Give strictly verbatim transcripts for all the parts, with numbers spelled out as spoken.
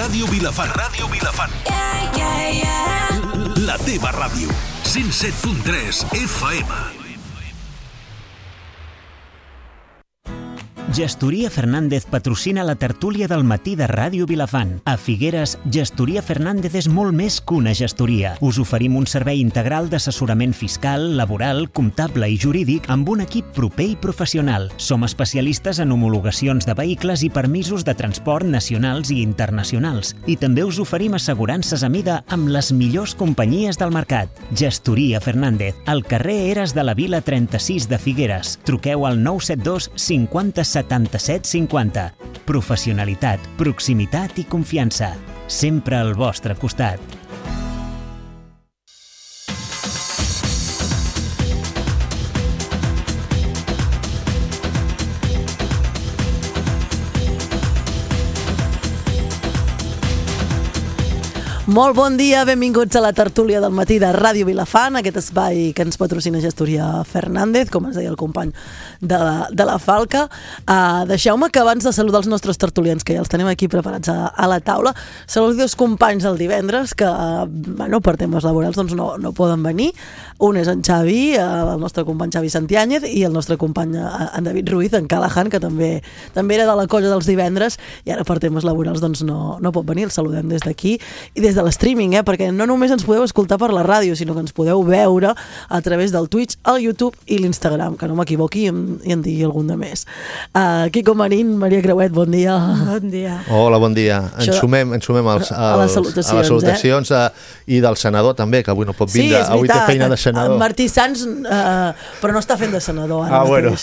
Ràdio Vilafant. Ràdio Vilafant. Yeah, yeah, yeah. La teva ràdio. cent set punt tres F M. Gestoria Fernández patrocina la tertúlia del matí de Ràdio Vilafant. A Figueres, Gestoria Fernández és molt més que una gestoria. Us oferim un servei integral d'assessorament fiscal, laboral, comptable i jurídic amb un equip proper i professional. Som especialistes en homologacions de vehicles i permisos de transport nacionals i internacionals. I també us oferim assegurances a mida amb les millors companyies del mercat. Gestoria Fernández, al carrer Eres de la Vila trenta-sis de Figueres. Truqueu al nou set dos cinquanta setanta-set cinquanta. Professionalitat, proximitat i confiança. Sempre al vostre costat. Molt bon dia, benvinguts a la tertúlia del matí de Ràdio Vilafant, aquest espai que ens patrocina Gestoria Fernández, com ens deia el company de la, de la Falca. Uh, Deixeu-me que abans de saludar els nostres tertulians, que ja els tenim aquí preparats a, a la taula, saludi dos companys del divendres que, uh, bueno, per temes laborals doncs no, no poden venir. Un és en Xavi, uh, el nostre company Xavi Santiáñez, i el nostre company uh, en David Ruiz, en Callahan, que també, també era de la colla dels divendres, i ara per temes laborals doncs no, no pot venir. El saludem des d'aquí i des de l'streaming, eh? Perquè no només ens podeu escoltar per la ràdio, sinó que ens podeu veure a través del Twitch, el YouTube i l'Instagram, que no m'equivoqui i em, i en digui algun de més. Uh, Quico Marín, Maria Creuet, bon dia. Bon dia. Hola, bon dia. Ens Això... sumem, ens sumem als, als, a les salutacions, a les salutacions eh? a, i del senador també, que avui no pot vindre. Sí, avui té feina de senador. En Martí Sans, uh, però no està fent de senador ara. Ah, bueno.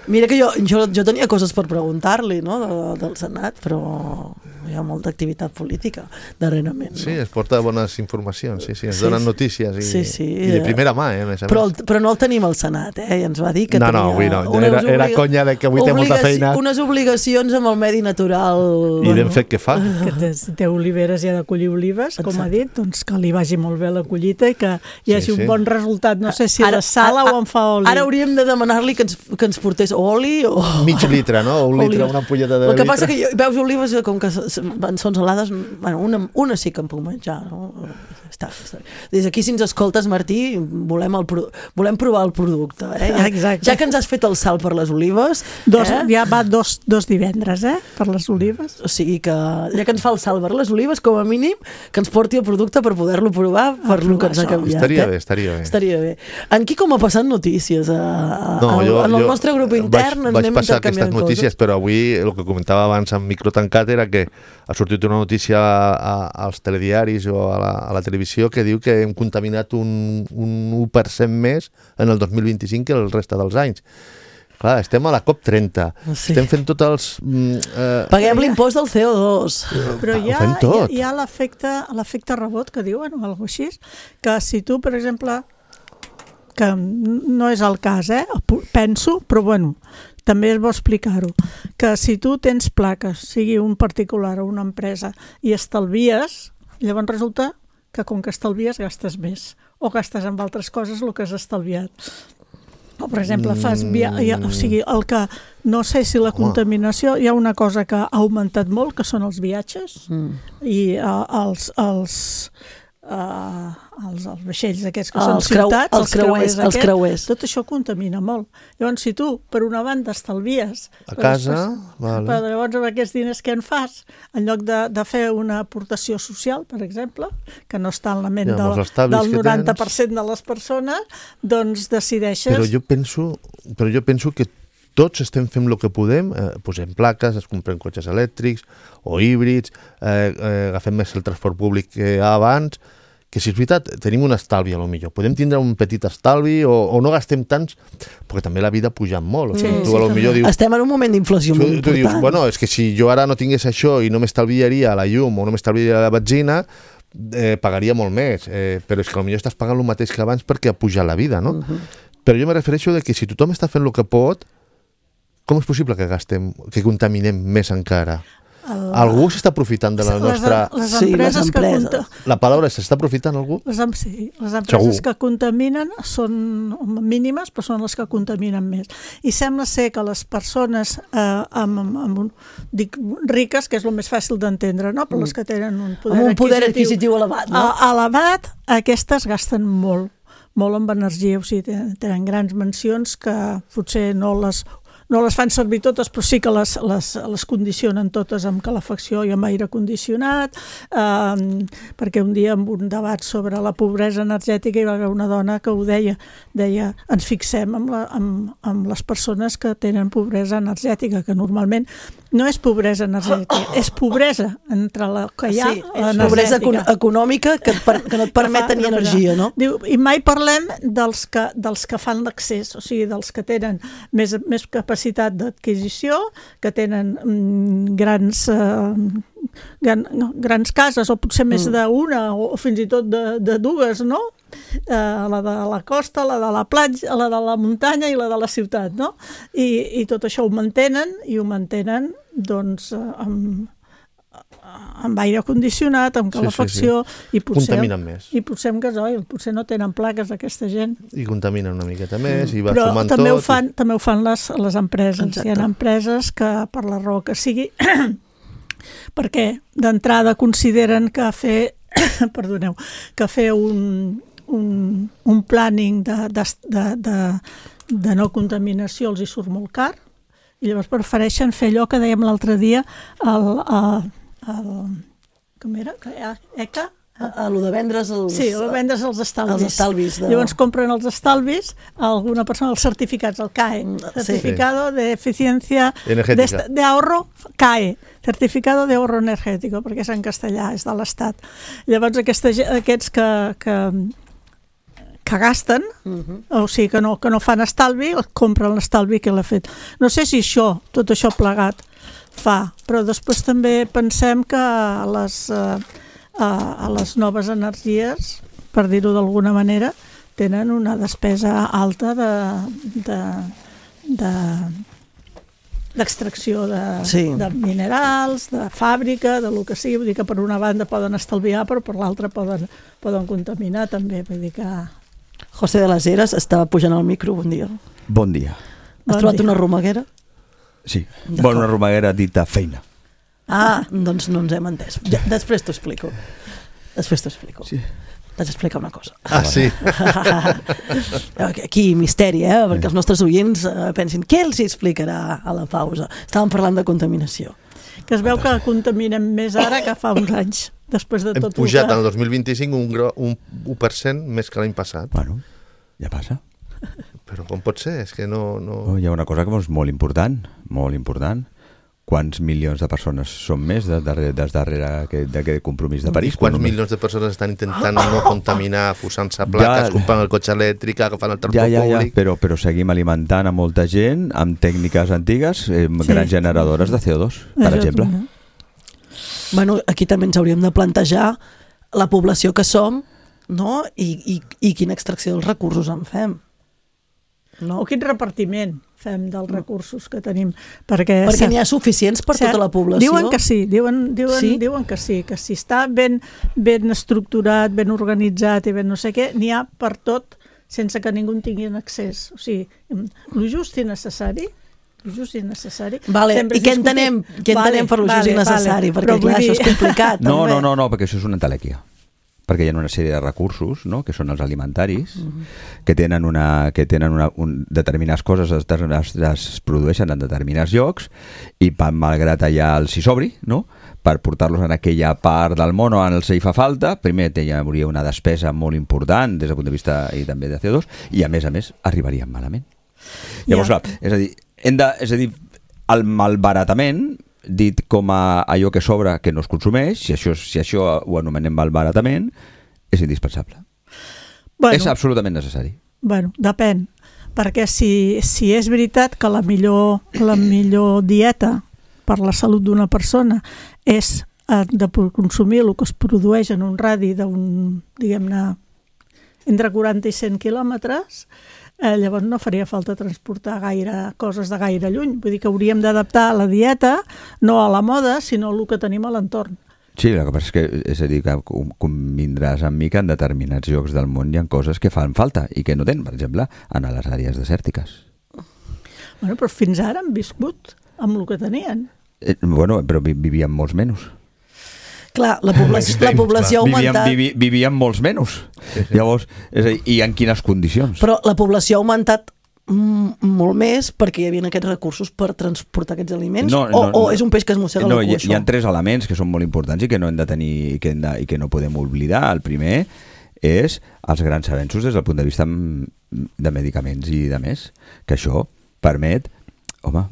Mira que jo, jo, jo tenia coses per preguntar-li, no?, de, del Senat, però hi ha molta activitat política darrerament. No? Sí, es porta bones informacions, sí, sí, ens Sí, donen sí. notícies i, Sí, sí. i de primera mà, eh, a més a Però, més. però no el tenim al Senat, eh? I ens va dir que No, tenia... no, avui no. unes Era, era obliga- conya de que avui té molta obligaci- feina. Unes obligacions amb el medi natural. I ben fet que fa. Que té, té oliveres i ha de collir olives, com Exacte. ha dit, doncs que li vagi molt bé la collita i que hi hagi Sí, sí. un bon resultat. No sé si Ara- la sala ara- o en fa oli. Ara hauríem de demanar-li que ens, que ens portés oli o... Mig litre, no? Un litre, Oliva. una ampolleta de El que litre. passa que jo, veus olives, com que s- s- van- són salades, bueno, una, una sí que em puc menjar, no? Està, està. Des d'aquí, si ens escoltes, Martí, volem, el, pro- volem provar el producte, eh? Ja, Exacte. ja que ens has fet el salt per les olives, Dos, eh? ja va dos, dos divendres, eh, per les olives. O sigui que, ja que ens fa el salt per les olives, com a mínim, que ens porti el producte per poder-lo provar, per lo que ens ha això. canviat. Estaria eh? bé, estaria bé. Estaria bé. En qui com ha passat notícies? A, a, No, a, jo, en el jo nostre grup intern vaig, ens vaig anem passar intercanviant aquestes notícies, coses. però avui el que comentava abans en microtancat era que ha sortit una notícia a, a, als telediaris o a la, a la televisió que diu que hem contaminat un, un u per cent més en el dos mil vint-i-cinc que el resta dels anys. Clar, estem a la COP trenta, Sí. estem fent tots els... Mm, eh, Paguem l'impost del C O dos. Però ho hi ha, fem hi ha, tot. hi ha l'efecte l'efecte rebot, que diuen, o alguna cosa així, que si tu, per exemple, que no és el cas, eh? penso, però bueno, també és bo explicar-ho, que si tu tens plaques, sigui un particular o una empresa, i estalvies, llavors resulta que com que estalvies gastes més, o gastes amb altres coses el que has estalviat. O, per exemple, fas via... o sigui, el que... No sé si la contaminació... Hi ha una cosa que ha augmentat molt, que són els viatges, mm. i uh, els... els Uh, els, els vaixells aquests que Ah, són els creu- ciutats, els creuers, els aquests, creuers. tot això contamina molt. Llavors, si tu, per una banda, estalvies... A però casa, després, vale. Però llavors, amb aquests diners què en fas? En lloc de, de fer una aportació social, per exemple, que no està en la ment Ja, amb del, els estalvis del que noranta per tens. cent de les persones, doncs decideixes... Però jo penso, però jo penso que tots estem fent el que podem, eh, posem plaques, es compren cotxes elèctrics o híbrids, eh, eh, agafem més el transport públic que abans, que si és veritat, tenim un estalvi a lo millor. Podem tindre un petit estalvi o, o no gastem tants, perquè també la vida ha pujat molt. O sigui, Sí, tu sí, a lo millor dius, estem en un moment d'inflació tu, molt tu important. dius, bueno, és que si jo ara no tingués això i no m'estalviaria la llum o no m'estalviaria la benzina, eh, pagaria molt més. Eh, però és que potser estàs pagant el mateix que abans perquè ha pujat la vida, no? Uh-huh. Però jo me refereixo de que si tothom està fent el que pot, com és possible que gastem, que contaminem més encara? El... Algú s'està aprofitant de la nostra... Les, les sí, les empreses que empreses. conta... La paraula s'està aprofitant algú? Les, em... sí, les empreses Segur. que contaminen són mínimes, però són les que contaminen més. I sembla ser que les persones eh, amb, amb, amb un, dic, riques, que és el més fàcil d'entendre, no? Però les que tenen un poder, amb un poder adquisitiu, adquisitiu elevat, no? A, elevat, aquestes gasten molt, molt amb energia, o sigui, tenen, tenen grans mansions que potser no les... No les fan servir totes, però sí que les, les, les condicionen totes amb calefacció i amb aire condicionat, eh, perquè un dia en un debat sobre la pobresa energètica hi va haver una dona que ho deia, deia, ens fixem amb, la, amb, amb les persones que tenen pobresa energètica, que normalment no és pobresa energètica, és pobresa entre la que hi ha sí, és pobresa econ econòmica que, et per, que no et permet tenir energia, no? Diu, i mai parlem dels que, dels que fan l'accés, o sigui, dels que tenen més, més capacitat d'adquisició, que tenen mm, grans, eh, gran, no, grans cases, o potser més mm. d'una, o, o fins i tot de, de dues, no? Eh, la de la costa, la de la platja, la de la muntanya i la de la ciutat, no? I, i tot això ho mantenen, i ho mantenen, doncs, amb... amb aire condicionat, amb calefacció, sí, sí, sí. i potser contaminen més. I potser amb gasoil, potser no tenen plaques aquesta gent. I contaminen una miqueta més, mm. i va Però sumant també tot. Ho fan, i... també ho fan les, les empreses. Exacte. Hi ha empreses que, per la raó que sigui, perquè d'entrada consideren que fer, perdoneu, que fer un, un, un planning de, de, de, de, de no contaminació els hi surt molt car, i llavors prefereixen fer allò que dèiem l'altre dia, el, el, el, com era? E C A? A, a lo de vendre's els... Sí, a vendre's els estalvis. Els estalvis de... Llavors compren els estalvis a alguna persona, els certificats, el C A E, Certificado sí. de Eficiencia Energètica. De, de Ahorro, C A E, Certificado de Ahorro Energético, perquè és en castellà, és de l'Estat. Llavors aquesta, aquests que, que, que gasten, uh-huh. o sigui que no, que no fan estalvi, compren l'estalvi que l'ha fet. No sé si això, tot això plegat, fa, però després també pensem que les, eh, a les noves energies, per dir-ho d'alguna manera, tenen una despesa alta de, de, de, d'extracció de, sí. de minerals, de fàbrica, de lo que sigui. Vull dir que per una banda poden estalviar, però per l'altra poden, poden contaminar també. Vull dir que... José de las Heras estava pujant al micro, bon dia. Bon dia. Has bon trobat dia. Una romaguera? Sí, bueno, una romaguera dita feina. Ah, doncs no ens hem entès. Ja, després t'ho explico. Després t'ho explico. Sí. T'haig d'explicar una cosa. Ah, sí? Aquí, misteri, eh? Perquè els nostres oients eh, pensin, què els explicarà a la pausa? Estàvem parlant de contaminació. Que es veu que contaminem més ara que fa uns anys, després de tot. Hem pujat el dos mil vint-i-cinc un, un u per cent més que l'any passat. Bueno, ja passa. Però com pot ser? És que no... no... Oh, hi ha una cosa que és molt important, molt important. Quants milions de persones són més des darrere, des darrere d'aquest compromís de París? I quants milions de persones estan intentant no contaminar, posant-se plaques, ja, comprant el cotxe elèctric, agafant el transport ja, ja, ja, públic... Però, però seguim alimentant a molta gent amb tècniques antigues, eh, sí. grans generadores de C O dos, per Això exemple. També. Bueno, aquí també ens hauríem de plantejar la població que som, no? I, i, i quina extracció dels recursos en fem. No? O quin repartiment fem dels recursos que tenim. Perquè, perquè n'hi ha suficients per tota la població? Diuen que sí, diuen, diuen, sí? diuen que sí, que si està ben, ben estructurat, ben organitzat i ben no sé què, n'hi ha per tot sense que ningú en tingui accés. O sigui, el just i necessari, el just i necessari... Vale. I què entenem, què entenem vale, per el just vale, i necessari? Vale. Perquè, clar, dir... això és complicat. No, també. no, no, no, perquè això és una entelèquia. Perquè hi ha una sèrie de recursos, no?, que són els alimentaris, uh-huh. que tenen, una, que tenen una, un, determinades coses es, es, es produeixen en determinats llocs i malgrat allà els hi sobri, no?, per portar-los en aquella part del món on els hi fa falta, primer hi hauria una despesa molt important des del punt de vista i també de C O dos i a més a més arribarien malament. Llavors, yeah. clar, és a dir, hem de, és a dir, el malbaratament dit com a allò que sobra que no es consumeix, si això, si això ho anomenem malbaratament, és indispensable. Bueno, és absolutament necessari. Bueno, depèn, perquè si, si és veritat que la millor, la millor dieta per la salut d'una persona és de consumir el que es produeix en un radi d'un, diguem-ne, entre quaranta i cent quilòmetres, eh, llavors no faria falta transportar gaire coses de gaire lluny. Vull dir que hauríem d'adaptar la dieta, no a la moda, sinó el que tenim a l'entorn. Sí, el que passa és que, és a dir, que convindràs amb mi que en determinats llocs del món hi ha coses que fan falta i que no tenen, per exemple, en les àrees desèrtiques. Bueno, però fins ara han viscut amb el que tenien. Eh, bueno, però vi vivien molts menys. Clar, la població, la població ha augmentat... Vivíem, vivi, vivíem molts menys. Sí, sí. Llavors, és a dir, i en quines condicions? Però la població ha augmentat molt més perquè hi havia aquests recursos per transportar aquests aliments? No, no, o, o no, és un peix que es mossega no, el cul, hi, hi ha tres elements que són molt importants i que no hem de tenir i que, hem de, i que no podem oblidar. El primer és els grans avenços des del punt de vista de medicaments i de més, que això permet, home,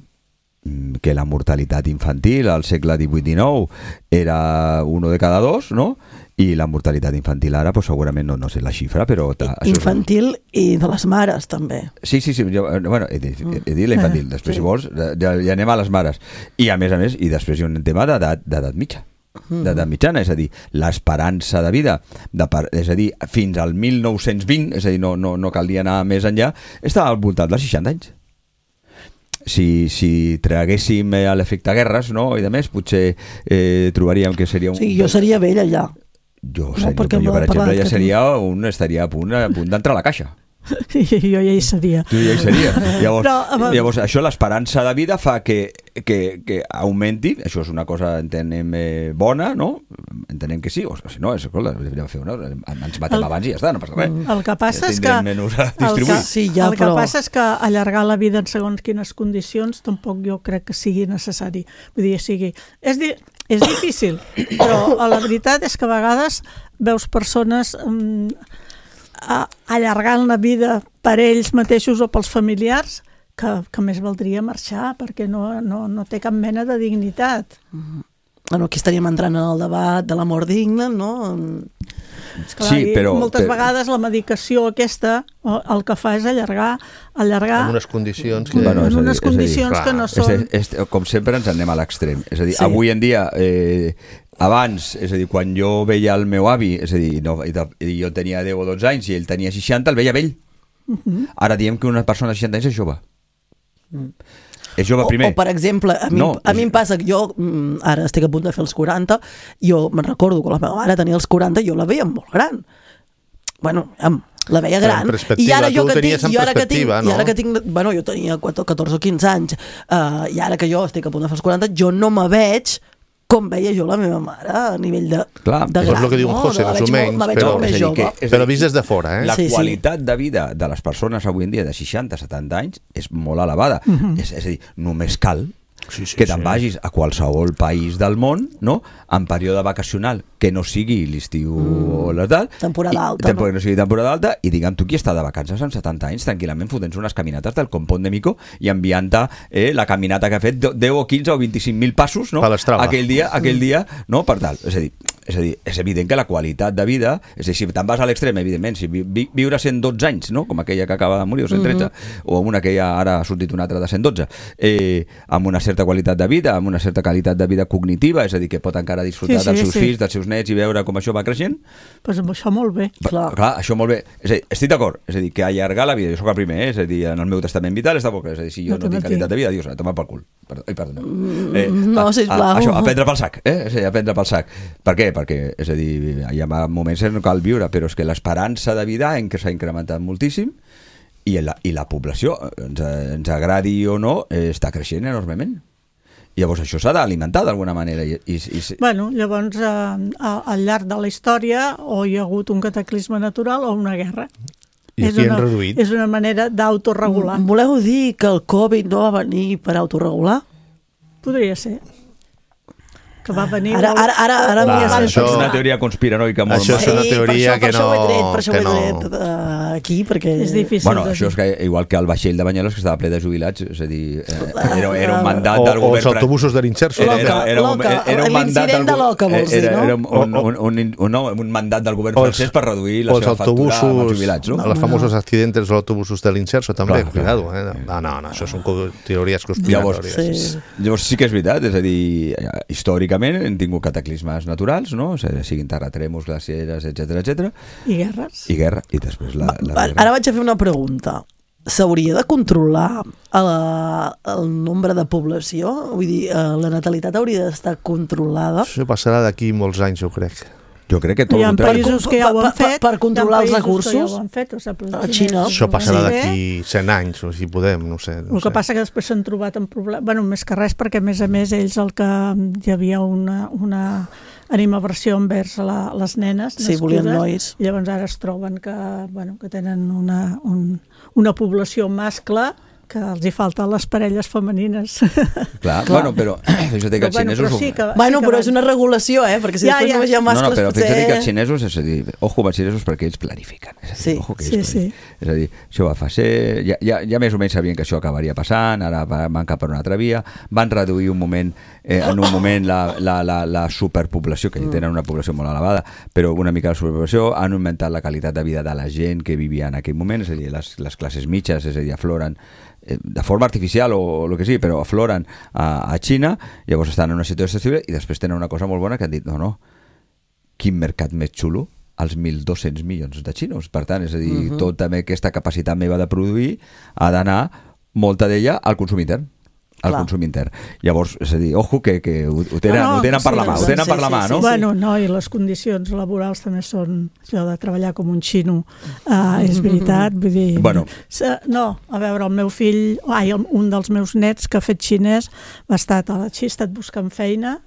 que la mortalitat infantil al segle divuit dinou era uno de cada dos, no? I la mortalitat infantil ara, pues, segurament no, no sé la xifra, però... Ta, infantil és... i de les mares, també. Sí, sí, sí. Jo, bueno, he, he, he dit la infantil. Després, sí. Si vols, ja, ja anem a les mares. I, a més a més, i després hi ha un tema d'edat mitja. d'edat mitjana, és a dir, l'esperança de vida, de per, és a dir, fins al mil nou-cents vint, és a dir, no, no, no calia anar més enllà, estava al voltant dels seixanta anys. Si, si traguéssim eh, l'efecte guerres, no?, i de més, potser eh, trobaríem que seria un... Sí, jo seria vell allà. Jo, seria, no, jo, per exemple, ja seria un, estaria a punt, a punt d'entrar a la caixa. Sí, jo ja hi seria. Tu ja hi seria. Llavors, Però, llavors això, l'esperança de vida fa que, que, que augmenti. Això és una cosa, entenem, eh, bona, no? Entenem que sí, o si no, és, escolta, fer una, ens matem el, abans i ja està, no passa res. El que passa és que, el que, sí, ja, el que però... passa és que allargar la vida en segons quines condicions tampoc jo crec que sigui necessari. Vull dir, sigui... És, di... és difícil, però la veritat és que a vegades veus persones... Um, allargant la vida per ells mateixos o pels familiars que, que més valdria marxar perquè no, no, no té cap mena de dignitat. Mm-hmm. Bueno, aquí estaríem entrant en el debat de la mort digna, no? Esclar, sí, però... moltes però... vegades la medicació aquesta el que fa és allargar... allargar en unes condicions que, bueno, en unes dir, condicions dir, que no són... És, és, com sempre ens anem a l'extrem. És a dir, sí. Avui en dia... Eh, abans, és a dir, quan jo veia el meu avi, és a dir, no, i jo tenia deu o dotze anys i ell tenia seixanta, el veia vell. Uh-huh. Ara diem que una persona de seixanta anys és jove. Mm. És jove primer. O, o per exemple, a mi, no, a mi em passa que jo ara estic a punt de fer els quaranta, jo me'n recordo que la meva mare tenia els quaranta i jo la veia molt gran. Bueno, la veia gran. I ara jo que tinc, i ara que tinc, no? I ara que tinc, bueno, jo tenia catorze o quinze anys, uh, i ara que jo estic a punt de fer els quaranta, jo no me veig com veia jo la meva mare a nivell de, clar, de gran. És el que diu un José, no, més o menys, molt, però, més jove. Que, però vist des de fora. Eh? La sí, qualitat sí. de vida de les persones avui en dia de seixanta a setanta anys és molt elevada. Uh-huh. és, és a dir, només cal sí, sí, que te'n sí. vagis a qualsevol país del món, no?, en període vacacional que no sigui l'estiu mm. o la tal, temporada alta, i, no? no sigui temporada alta, i digue'm tu qui està de vacances amb setanta anys tranquil·lament fotent unes caminates del Compont de Mico i enviant-te eh, la caminata que ha fet deu o quinze o vint-i-cinc mil passos, no?, aquell dia, aquell dia, no?, per tal. És a dir, és a dir, és evident que la qualitat de vida, és a dir, si te'n vas a l'extrem, evidentment, si vi, vi, viure cent dotze anys, no?, com aquella que acaba de morir, o cent tretze, mm-hmm. o amb una que ja ara ha sortit una altra de cent dotze, eh, amb una certa qualitat de vida, amb una certa qualitat de vida cognitiva, és a dir, que pot encara disfrutar sí, sí, dels seus sí. fills, dels seus nets i veure com això va creixent. Pues amb això molt bé. Clar, clar això molt bé. És a dir, estic d'acord, és a dir, que allargar la vida, jo soc el primer, eh? És a dir, en el meu testament vital està poc, és a dir, si jo no, no tinc qualitat de vida, dius, a tomar pel cul. Perdó, ai, perdó. Eh, no, sisplau. Això, a prendre pel sac, eh? És a dir, a prendre pel sac. Per què? Perquè, és a dir, hi ha moments en què no cal viure, però és que l'esperança de vida en què s'ha incrementat moltíssim i la, i la població, ens, ens agradi o no, eh, està creixent enormement. Llavors això s'ha d'alimentar d'alguna manera. I, i, i... Bueno, llavors eh, al llarg de la història o hi ha hagut un cataclisme natural o una guerra. I és aquí una, han reduït. És una manera d'autoregular. Voleu dir que el Covid no va venir per autoregular? Podria ser. Que va venir... Ara, ara, ara, ara Va, això és una teoria conspiranoica molt això és una teoria sí, que no... Per això ho he tret, per això que ho he tret no... uh, aquí, perquè... És difícil. Bueno, això és que, igual que el vaixell de Banyoles, que estava ple de jubilats, és a dir, eh, era, era un mandat o, del govern... O els autobusos de l'Inserso. Era, era, era, un, era, era un mandat del, de l'Oca, vols dir, no? Era, era un, un, un, un, un, no, un mandat del govern francès per reduir la seva factura amb els jubilats, no? Els famosos accidents dels autobusos de l'Inserso, també, clar, cuidado, eh? No, no, no, això són teories conspiratòries. Llavors, sí. llavors sí que és veritat, és a dir, històricament hem tingut cataclismes naturals, no? O sigui, siguin terratrèmols, glacieres, etcètera, etcètera. I guerres. I guerra, i després la... la Va, ara vaig a fer una pregunta. s'hauria de controlar el, el nombre de població? Vull dir, la natalitat hauria d'estar controlada? Això passarà d'aquí molts anys, jo crec. Jo crec que tot hi ha el contrari. països que ja ho han fet, per, per controlar els recursos. Ja ho han fet, o sigui, a Xina. Això passarà d'aquí cent anys, o si podem, no sé. No el que sé. passa que després s'han trobat en problemes, bueno, més que res perquè a més a més ells el que hi havia una, una animaversió envers la, les nenes sí, volien nois. Llavors ara es troben que, bueno, que tenen una, un, una població mascle que els hi falten les parelles femenines. Clar, Clar. bueno, però fixa't que els bueno, xinesos... Però, sí que, bueno, sí però van... és una regulació, eh? Perquè si ja, després ja. només hi ha mascles, no, no, però potser... fixa't que els xinesos, és a dir, ojo amb els xinesos perquè ells planifiquen. És a dir, sí, ojo que sí, ells sí. És a dir, això va ser... Ja, ja, ja més o menys sabien que això acabaria passant, ara van cap per una altra via, van reduir un moment, eh, en un moment la, la, la, la superpoblació, que tenen una població molt elevada, però una mica la superpoblació, han augmentat la qualitat de vida de la gent que vivia en aquell moment, és a dir, les, les classes mitges, és a dir, afloren de forma artificial o el que sigui, però afloren a, a Xina, llavors estan en una situació estable i després tenen una cosa molt bona que han dit, no, no, quin mercat més xulo, els mil dos-cents milions de xinos, per tant, és a dir, uh-huh. tota aquesta capacitat meva de produir ha d'anar, molta d'ella, al consum intern al Clar. consum intern. Llavors, és a dir, ojo que, que ho, ho tenen, no, no, ho tenen sí, per la mà, ho tenen sí, per la mà, sí, no? Sí, sí. Bueno, no, i les condicions laborals també són, allò de treballar com un xino, uh, és veritat, vull dir... Bueno. No, a veure, el meu fill, ai, un dels meus nets que ha fet xinès va estar a la Xina, ha estat buscant feina,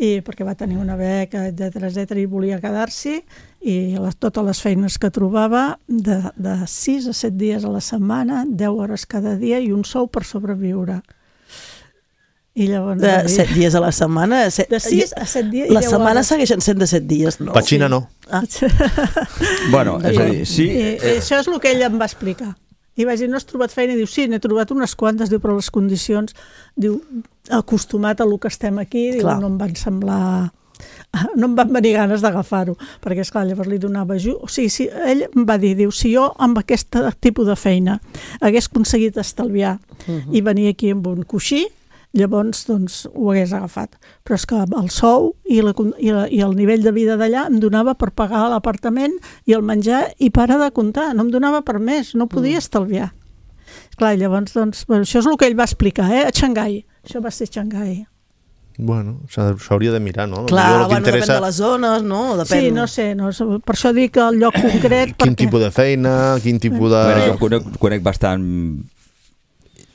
i perquè va tenir una beca, etcètera, etcètera, i volia quedar-s'hi, i les, totes les feines que trobava, de, de sis a set dies a la setmana, deu hores cada dia i un sou per sobreviure. I llavors, de set dies a la setmana? Set... De sis a set dies. Les setmanes segueixen sent de set dies, no? Per Xina no. Ah. Bueno, és a dir, sí... I, i això és el que ell em va explicar. I vaig dir, no has trobat feina? I diu, sí, n'he trobat unes quantes, diu, però les condicions, diu, acostumat a lo que estem aquí, diu, no em van semblar... no em van venir ganes d'agafar-ho, perquè esclar, llavors li donava ajut. O sigui, si, ell em va dir, diu, si jo amb aquest tipus de feina hagués aconseguit estalviar uh-huh. i venir aquí amb un coixí, llavors doncs, ho hagués agafat. Però és que el sou i, la, i, la, i el nivell de vida d'allà em donava per pagar l'apartament i el menjar i para de comptar, no em donava per més, no podia mm. estalviar. Clar, llavors, doncs, bueno, això és el que ell va explicar, eh? A Xangai. Això va ser Xangai. Bueno, s'hauria de mirar, no? Clar, bueno, interessa... depèn de les zones, no? Depèn... Sí, no sé, no, per això dic el lloc concret... Quin perquè... tipus de feina, quin tipus de... Bueno, jo conec, conec bastant...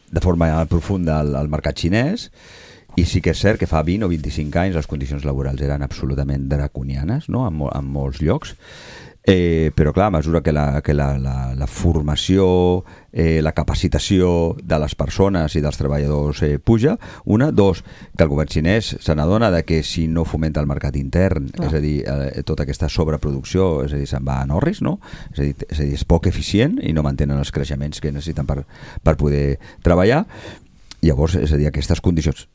de forma profunda al, al mercat xinès i sí que és cert que fa vint o vint-i-cinc anys les condicions laborals eren absolutament draconianes, no? en, mo en molts llocs, eh, però clar, a mesura que la, que la, la, la formació, eh, la capacitació de les persones i dels treballadors eh, puja, una, dos, que el govern xinès se n'adona de que si no fomenta el mercat intern, clar. És a dir, eh, tota aquesta sobreproducció, és a dir, se'n va a Norris, no? És a dir, és a dir, és poc eficient i no mantenen els creixements que necessiten per, per poder treballar. Llavors, és a dir, aquestes condicions,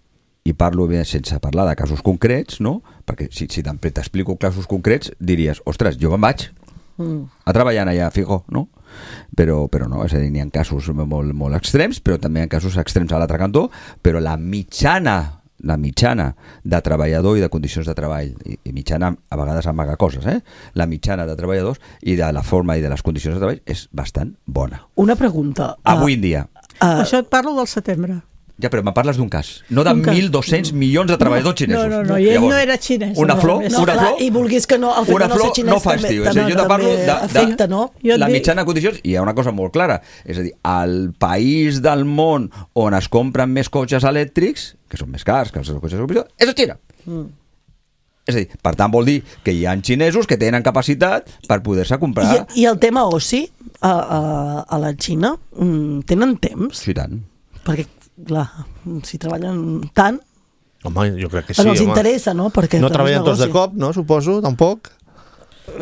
i parlo bé sense parlar de casos concrets, no? Perquè si, si t'explico casos concrets diries, ostres, jo me'n vaig mm. a treballar allà, fijo, no? Però, però no, és a dir, n'hi ha casos molt, molt extrems, però també hi ha casos extrems a l'altre cantó, però la mitjana la mitjana de treballador i de condicions de treball, i, i mitjana a vegades amaga coses, eh? La mitjana de treballadors i de la forma i de les condicions de treball és bastant bona. Una pregunta. Avui en dia. Uh, Això et parlo del setembre. Ja, però me parles d'un cas, no de mil dos-cents milions de treballadors xinesos. No, no, no, i ell Llavors, no era xinès. Una flor, no, una clar, flor, i vulguis que no, el fet una de no flor ser xinès no fa també, estiu. també, Jo te parlo de, de, afecta, no? la mitjana de condicions, i hi ha una cosa molt clara, és a dir, al país del món on es compren més cotxes elèctrics, que són més cars que els cotxes elèctrics, és a Xina. Mm. És a dir, per tant vol dir que hi ha xinesos que tenen capacitat per poder-se comprar... I, i el tema oci, a, a, a la Xina, tenen temps? Sí, tant. Perquè, clar, si treballen tant... Home, jo crec que sí, però els home. interessa, no? Perquè no treballen tots de cop, no? Suposo, tampoc.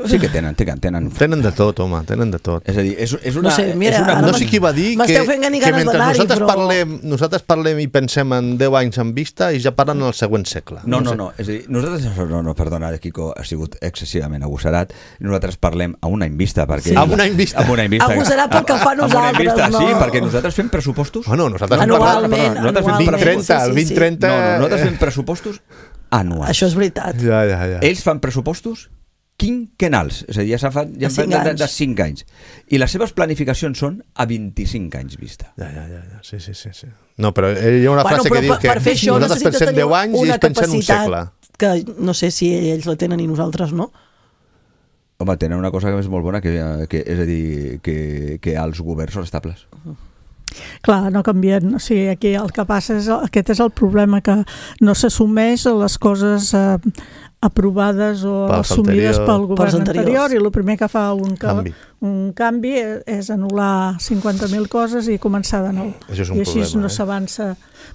Sí que tenen, tenen, tenen. Tenen de tot, home, tenen de tot. És a dir, és, és una... No sé, mira, és una... No sé qui va dir que, que mentre nosaltres, però... parlem, nosaltres parlem i pensem en deu anys en vista i ja parlen en el següent segle. No, no, no, no, és a dir, nosaltres, no, no, perdona, Quico, ha sigut excessivament agosserat, nosaltres parlem a un any vista, perquè... Sí. A un any vista. A un any vista. Agosarat pel que fa nosaltres, vista, no? Sí, perquè nosaltres fem pressupostos... Bueno, nosaltres anualment, parlem, nosaltres fem vint trenta, el vint trenta... No, no, nosaltres fem pressupostos anuals. Això és veritat. Ja, ja, ja. Ells fan pressupostos quinquennals, és a dir, ja, fa, ja de, cinc de, de, de cinc anys. I les seves planificacions són a vint-i-cinc anys vista. Ja, ja, ja, ja. Sí, sí, sí, sí. No, però hi ha una bueno, frase que diu per, que per fer això nosaltres pensem deu anys i ells pensen un segle. Que no sé si ells la tenen i nosaltres no. Home, tenen una cosa que és molt bona, que, que és a dir, que, que els governs són estables. Uh-huh. Clar, no canvien. O sigui, aquí el que passa és, aquest és el problema, que no s'assumeix les coses eh, aprovades o Pels assumides anterior. pel govern Pels anterior, i el primer que fa un, Canvi. un canvi és anul·lar cinquanta mil coses i començar de nou. Això és un I així problema, no eh? s'avança.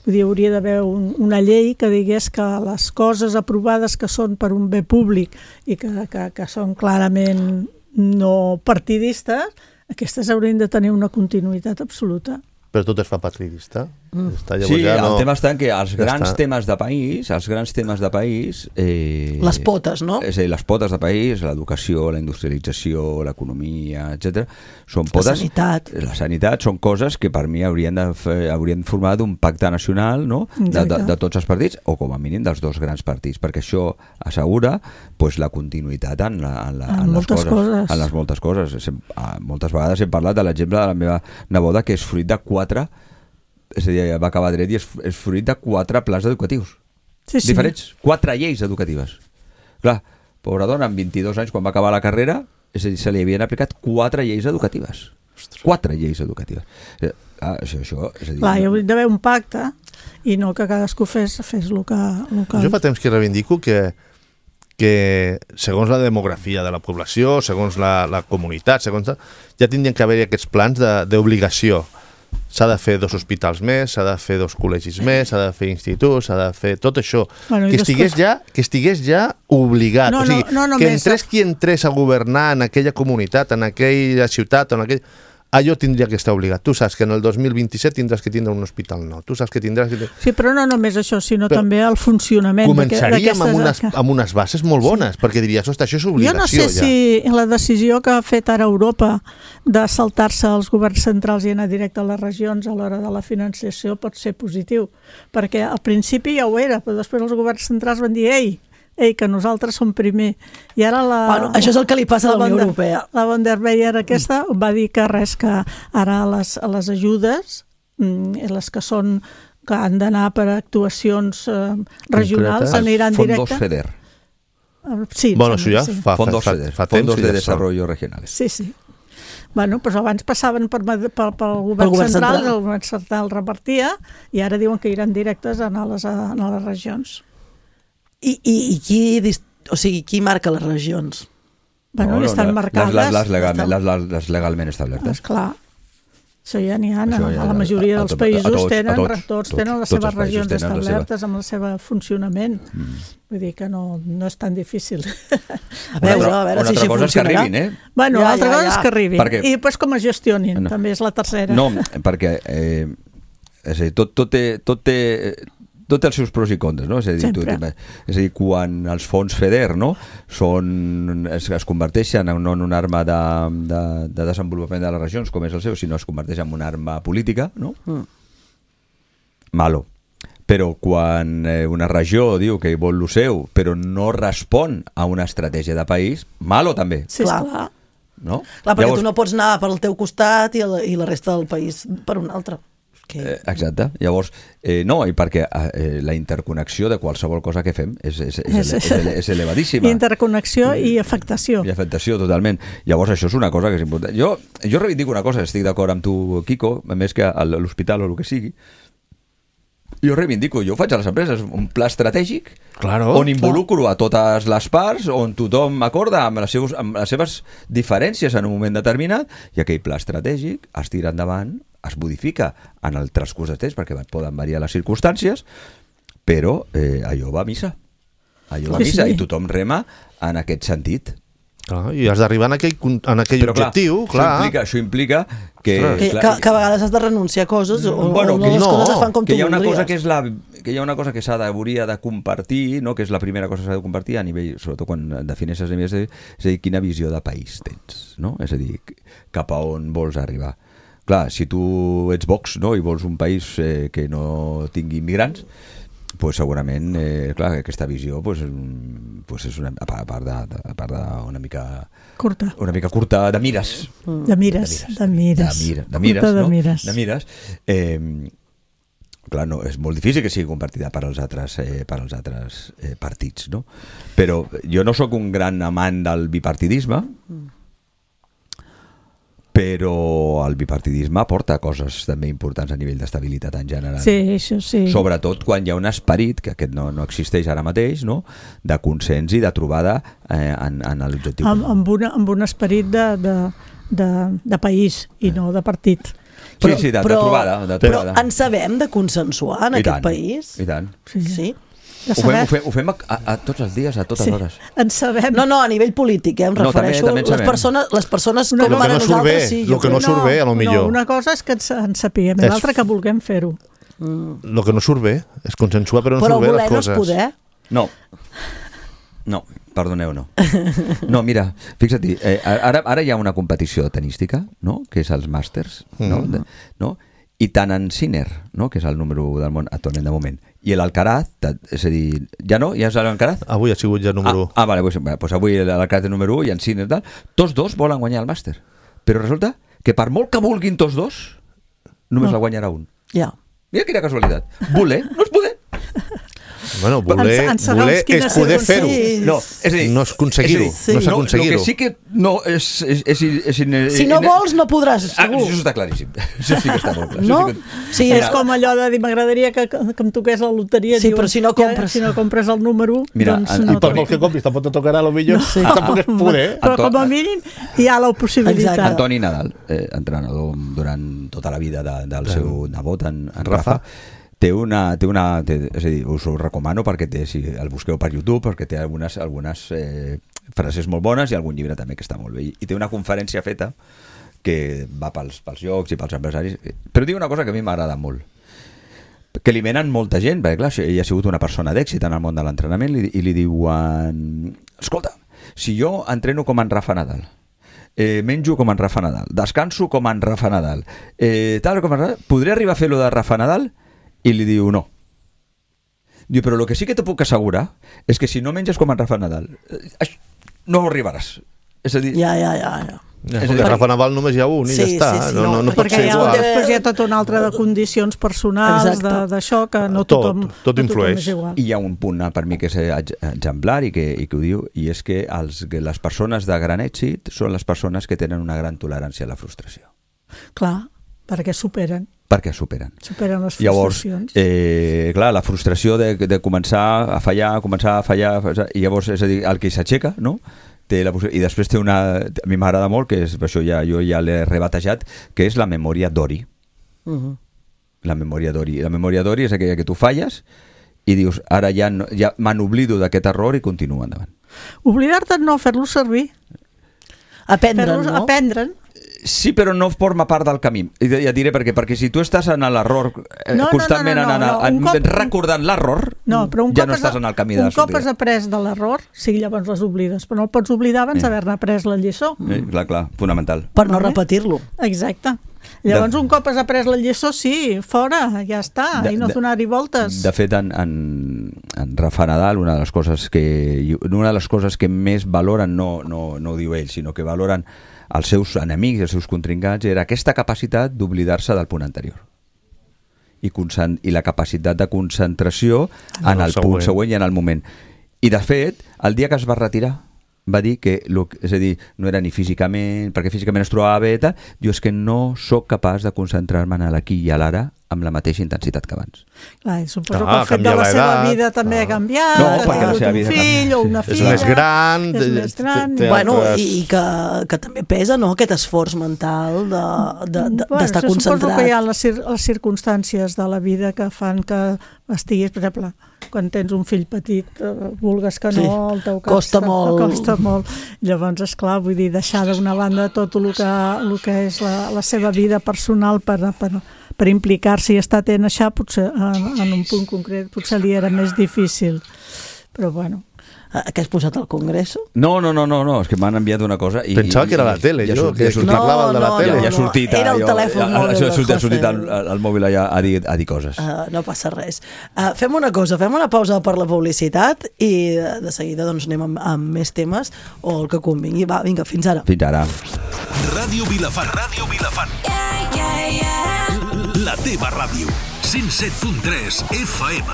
Vull dir, hauria d'haver un, una llei que digués que les coses aprovades que són per un bé públic i que, que, que són clarament no partidistes, aquestes haurien de tenir una continuïtat absoluta. Però tot es fa partidista. Mm. Està, Sí, ja no... el tema està en que els Ja grans està. temes de país, els grans temes de país... Eh, Les potes, no? És a dir, les potes de país, l'educació, la industrialització, l'economia, etcètera, són La potes... sanitat. La sanitat són coses que per mi haurien de, fer, haurien de formar d'un pacte nacional, no? de, de, Exacte. de tots els partits, o com a mínim dels dos grans partits, perquè això assegura pues, la continuïtat en, la, en, la, En en, les moltes coses, coses. en les moltes coses. Sem, ah, moltes vegades hem parlat de l'exemple de la meva neboda, que és fruit de quatre... És a dir, va acabar dret i és, és fruit de quatre plans educatius. Sí, sí. Diferents. Quatre lleis educatives. Clar, pobra dona, amb vint-i-dos anys, quan va acabar la carrera, és a dir, se li havien aplicat quatre lleis educatives. Ostres. Quatre lleis educatives. Eh, ah, això, això, és a dir... Clar, hi hauria d'haver un pacte i no que cadascú fes, fes el que... El que... Jo fa temps que reivindico que, que segons la demografia de la població, segons la, la comunitat, segons ja tindrien que haver-hi aquests plans d'obligació. S'ha de fer dos hospitals més, s'ha de fer dos col·legis més, s'ha de fer instituts, s'ha de fer tot això. Bueno, que, estigués després... ja, que estigués ja obligat. No, o sigui, no, no que només... entrés qui entrés a governar en aquella comunitat, en aquella ciutat, en aquell... allò tindria que estar obligat. Tu saps que en el dos mil vint-i-set tindràs que tindre un hospital nou. Tu saps que tindràs que... Sí, però no només això, sinó Però també el funcionament. Començaríem amb unes, d'aquestes... amb unes bases molt bones, sí. Perquè diries, ostres, això és obligació. Jo no sé ja. si la decisió que ha fet ara Europa de saltar-se els governs centrals i anar directe a les regions a l'hora de la financiació pot ser positiu, perquè al principi ja ho era, però després els governs centrals van dir ei, ei, que nosaltres som primer. I ara la... Bueno, això és el que li passa a la Unió Europea. La von der Leyen aquesta va dir que res, que ara les, les ajudes, les que són que han d'anar per actuacions eh, regionals, Concretes. aniran Fondos directe. FEDER. Sí, Bueno, això ja sí. fa, Fondos fa, FEDER. fa, fa temps Fondos que de ja són. Desarrollo Regionales. Sí, sí. Bueno, doncs abans passaven per, per, pel, pel govern, govern central, central. el govern central repartia, i ara diuen que iran directes a anar a les, a les regions. I, i, i qui, o sigui, qui marca les regions? Bueno, no, estan les, marcades. Les, les, legalment, estan... les, les legalment establertes. Esclar. Això ja n'hi ha, Això a, ja- a la majoria a- a dels tot- a països tots, a tenen, tots, tots, tots tots, tenen les tots seves els països regions tenen la seva- establertes amb el seu funcionament. Mm. Vull dir que no, no és tan difícil. A veure, a veure una si altra així cosa és que funcionarà. arribin, eh? Bueno, Ja, l'altra ja, cosa ja. és que arribin. Perquè- I després com es gestionin, No. també és la tercera. No, perquè eh, és a dir, tot, tot, té, tot, té, tot té els seus pros i contres, no? És a dir, tu, Sempre. és a dir, quan els fons FEDER, no? Són, es, es converteixen en, no en una arma de, de, de desenvolupament de les regions, com és el seu, sinó es converteix en una arma política, no? Mm. Malo. Però quan eh, una regió diu que vol lo seu, però no respon a una estratègia de país, malo també, Sí, Clar. esclar. no? Clar, perquè Llavors, tu no pots anar pel teu costat i, el, i la resta del país per un altre. Que... Eh, exacte. Llavors, eh, no, i perquè eh, la interconnexió de qualsevol cosa que fem és, és, és, És- és, és, és elevadíssima. Interconnexió i afectació. I afectació, totalment. Llavors, això és una cosa que és important. Jo, jo reivindico una cosa, estic d'acord amb tu, Quico, a més que a l'hospital o el que sigui, jo reivindico, jo faig a les empreses un pla estratègic Claro, on involucro a totes les parts, on tothom acorda amb les, seus, amb les seves diferències en un moment determinat, i aquell pla estratègic es tira endavant, es modifica en el transcurs de temps perquè poden variar les circumstàncies, però eh, allò va a missa. Allò va a Sí, missa sí. i tothom rema en aquest sentit. Clar, i has d'arribar en aquell, en aquell Però, objectiu, clar. Això implica, això implica que... Ostres. Que, clar, que, que a vegades has de renunciar a coses o, Bueno, o que les no, coses es fan com que tu hi ha una voldries. cosa que és la que hi ha una cosa que s'ha de, hauria de compartir, no? Que és la primera cosa que s'ha de compartir a nivell, sobretot quan defineixes a nivell, és a dir, quina visió de país tens, no? És a dir, cap a on vols arribar. Clar, si tu ets Vox, no? I vols un país eh, que no tingui immigrants, pues segurament, eh, clar, aquesta visió pues, pues és una, a part de, a part de una mica curta, una mica curta de mires. De mires, de mires. De mires, de mires, de no? mires. De mires. Eh, clar, no, és molt difícil que sigui compartida per als altres, eh, per als altres eh, partits, no? Però jo no sóc un gran amant del bipartidisme, però el bipartidisme aporta coses també importants a nivell d'estabilitat en general. Sí, això sí. Sobretot quan hi ha un esperit, que aquest no, no existeix ara mateix, no? De consens i de trobada eh, en, en l'objectiu. Amb, amb, una, amb un esperit de, de, de, de país i no de partit. Però, sí, sí, de, però, de trobada. De trobada. Però en sabem de consensuar en I aquest tant, país? I tant. Sí. sí. Ho fem, ho fem, ho fem a, a, a tots els dies, a totes sí. hores. En sabem. No, no, a nivell polític, eh, em no, refereixo. també, també les, persones, les persones com Lo que ara no surt bé, nosaltres sí. lo que no surt bé, a lo millor. No, una cosa és que ens, en sapiguem, i És- l'altra que vulguem fer-ho. Mm. El que no surt bé és consensuar, però no Però surt bé voler les no és coses. poder. No. No, perdoneu, no. No, mira, fixa't, eh, ara, ara hi ha una competició tenística, no?, que és els màsters, no? Mm. De, no? I tant en Sinner, no?, que és el número u del món actualment de moment, i l'Alcaraz, és a dir, ja no? Ja és l'Alcaraz? Avui ha sigut ja número u. Ah, ah vale, pues, pues avui l'Alcaraz és número u i en Sinner tal. Tots dos volen guanyar el màster. Però resulta que per molt que vulguin tots dos, només No. la guanyarà un. Ja. Mira quina casualitat. Voler no és poder. Bueno, voler, En- en segons voler quines és poder fer-ho. circumstàncies. No, és a dir, No és aconseguir-ho, és a dir, no és no, aconseguir-ho. El que sí que no és... és, és, és, és Si no vols, no podràs, Ah, segur. això està claríssim. Això sí que està molt clar. No? Això sí que... Sí, És com allò de dir, m'agradaria que, que em toqués la loteria. Sí, diuen, però si no ja, compres. si no compres el número u, Mira, doncs en- no. I per molt que compris, tampoc te tocarà, potser No sé. tampoc és poder. Però Anto- com a mínim hi ha la possibilitat. Exacte. Antoni Nadal, eh, entrenador durant tota la vida de, del seu nebot, en, en Rafa. Rafa, té una... Té una té, és a dir, us ho recomano perquè té, si el busqueu per YouTube, perquè té algunes, algunes eh, frases molt bones i algun llibre també que està molt bé. I, i té una conferència feta que va pels, pels llocs i pels empresaris, però diu una cosa que a mi m'agrada molt, que li venen molta gent, perquè clar, ell ha sigut una persona d'èxit en el món de l'entrenament, i, i li diuen, escolta, si jo entreno com en Rafa Nadal, eh, menjo com en Rafa Nadal, descanso com en Rafa Nadal, eh, tal com en Rafa, podré arribar a fer lo de Rafa Nadal? I li diu, no. Diu, però el que sí que te puc assegurar és que si no menges com en Rafa Nadal, eh, no ho arribaràs. És a dir, Ja, ja, ja. ja. Ja, És a perquè dir, Rafa Nadal només hi ha un i Sí, ja està. sí, sí, no, no, no no, pot Perquè ser hi ha, igual. després hi ha tota una altra de condicions personals, Exacte. de- d'això, que no Tot, tothom, tot no tothom influeix. és igual. I hi ha un punt per mi que és ex- exemplar i que, i que ho diu, i és que, els, que les persones de gran èxit són les persones que tenen una gran tolerància a la frustració, Clar, perquè superen, perquè superen. superen les Llavors, frustracions. eh, clar, la frustració de, de començar a fallar, començar a fallar, i llavors, és a dir, el que s'aixeca, no?, té la possi- i després té una... A mi m'agrada molt, que és, per això ja, jo ja l'he rebatejat, que és la memòria d'Ori. Uh -huh. La memòria d'Ori. La memòria d'Ori és aquella que tu falles i dius, ara ja, no, ja me n'oblido d'aquest error i continuo endavant. Oblidar-te no, fer-lo servir, Aprendre'n, fer-los no? aprendre'n. Sí, però no forma part del camí. I ja et diré per què. Perquè si tu estàs en l'error, eh, No, no, constantment no, no, en, no, en, un cop- en, recordant l'error, No, però un ja cop no has- estàs en el camí de un cop has sortida. après de l'error, sí, llavors les oblides, però no el pots oblidar abans Eh. d'haver-ne après la lliçó. Eh, clar, clar, fonamental. Per no Vale. repetir-lo. Exacte. Llavors, De- un cop has après la lliçó, sí, fora, ja està, De- i no de- donar-hi voltes. De fet, en, en, en Rafa Nadal, una de les coses que una de les coses que més valoren, no, no, no ho diu ell, sinó que valoren els seus enemics, els seus contrincants, era aquesta capacitat d'oblidar-se del punt anterior. I, concent, i la capacitat de concentració en En el el punt següent. següent i en el moment. I, de fet, el dia que es va retirar, va dir que, lo, és a dir, no era ni físicament, perquè físicament es trobava bé, tal, diu, és que no sóc capaç de concentrar-me en l'aquí i a l'ara amb la mateixa intensitat que abans. Clar, i suposo Ah, que el fet de canvia la seva l'edat. vida també ha canviat, No, ha perquè la tingut seva un vida ha fill canviat, o sí. una És filla. més gran, és té- més gran. té- té Bueno, altres- i que, que també pesa, no?, aquest esforç mental de- de- de- Bueno, d'estar això concentrat. Suposo que hi ha les, cir les circumstàncies de la vida que fan que estiguis, per exemple, quan tens un fill petit, eh, vulgues que no, Sí, el teu cap costa està- molt. costa molt. Llavors, esclar, vull dir, deixar d'una banda tot el que, el que és la, la seva vida personal per, per, per implicar-se i estar atent a això, potser en, en un punt concret potser li era més difícil. Però bueno, Que has posat al Congreso? No, no, no, no, no, és que m'han enviat una cosa i... Pensava que era la tele, jo, que parlava de la tele. Ja ha sortit... Era el telèfon mòbil del José. Ha sortit el mòbil allà a dir, a dir coses. Uh, no passa res. Uh, fem una cosa, fem una pausa per la publicitat i de, de seguida doncs, anem amb, amb més temes o el que convingui. Va, vinga, fins ara. Fins ara. Ràdio Vilafant. Ràdio Vilafant. Yeah, yeah, yeah. La teva ràdio. cent set punt tres F M.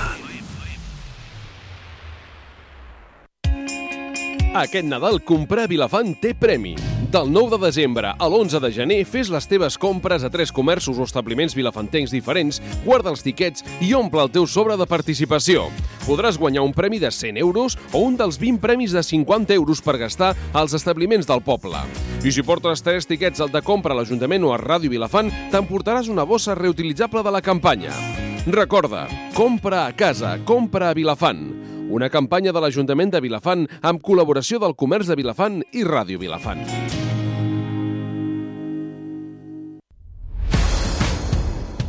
Aquest Nadal comprar a Vilafant té premi. Del nou de desembre a l'onze de gener fes les teves compres a tres comerços o establiments vilafantencs diferents, guarda els tiquets i omple el teu sobre de participació. Podràs guanyar un premi de cent euros o un dels vint premis de cinquanta euros per gastar als establiments del poble. I si portes tres tiquets al de compra a l'Ajuntament o a Ràdio Vilafant, t'emportaràs una bossa reutilitzable de la campanya. Recorda, compra a casa, compra a Vilafant. Una campanya de l'Ajuntament de Vilafant amb col·laboració del Comerç de Vilafant i Ràdio Vilafant.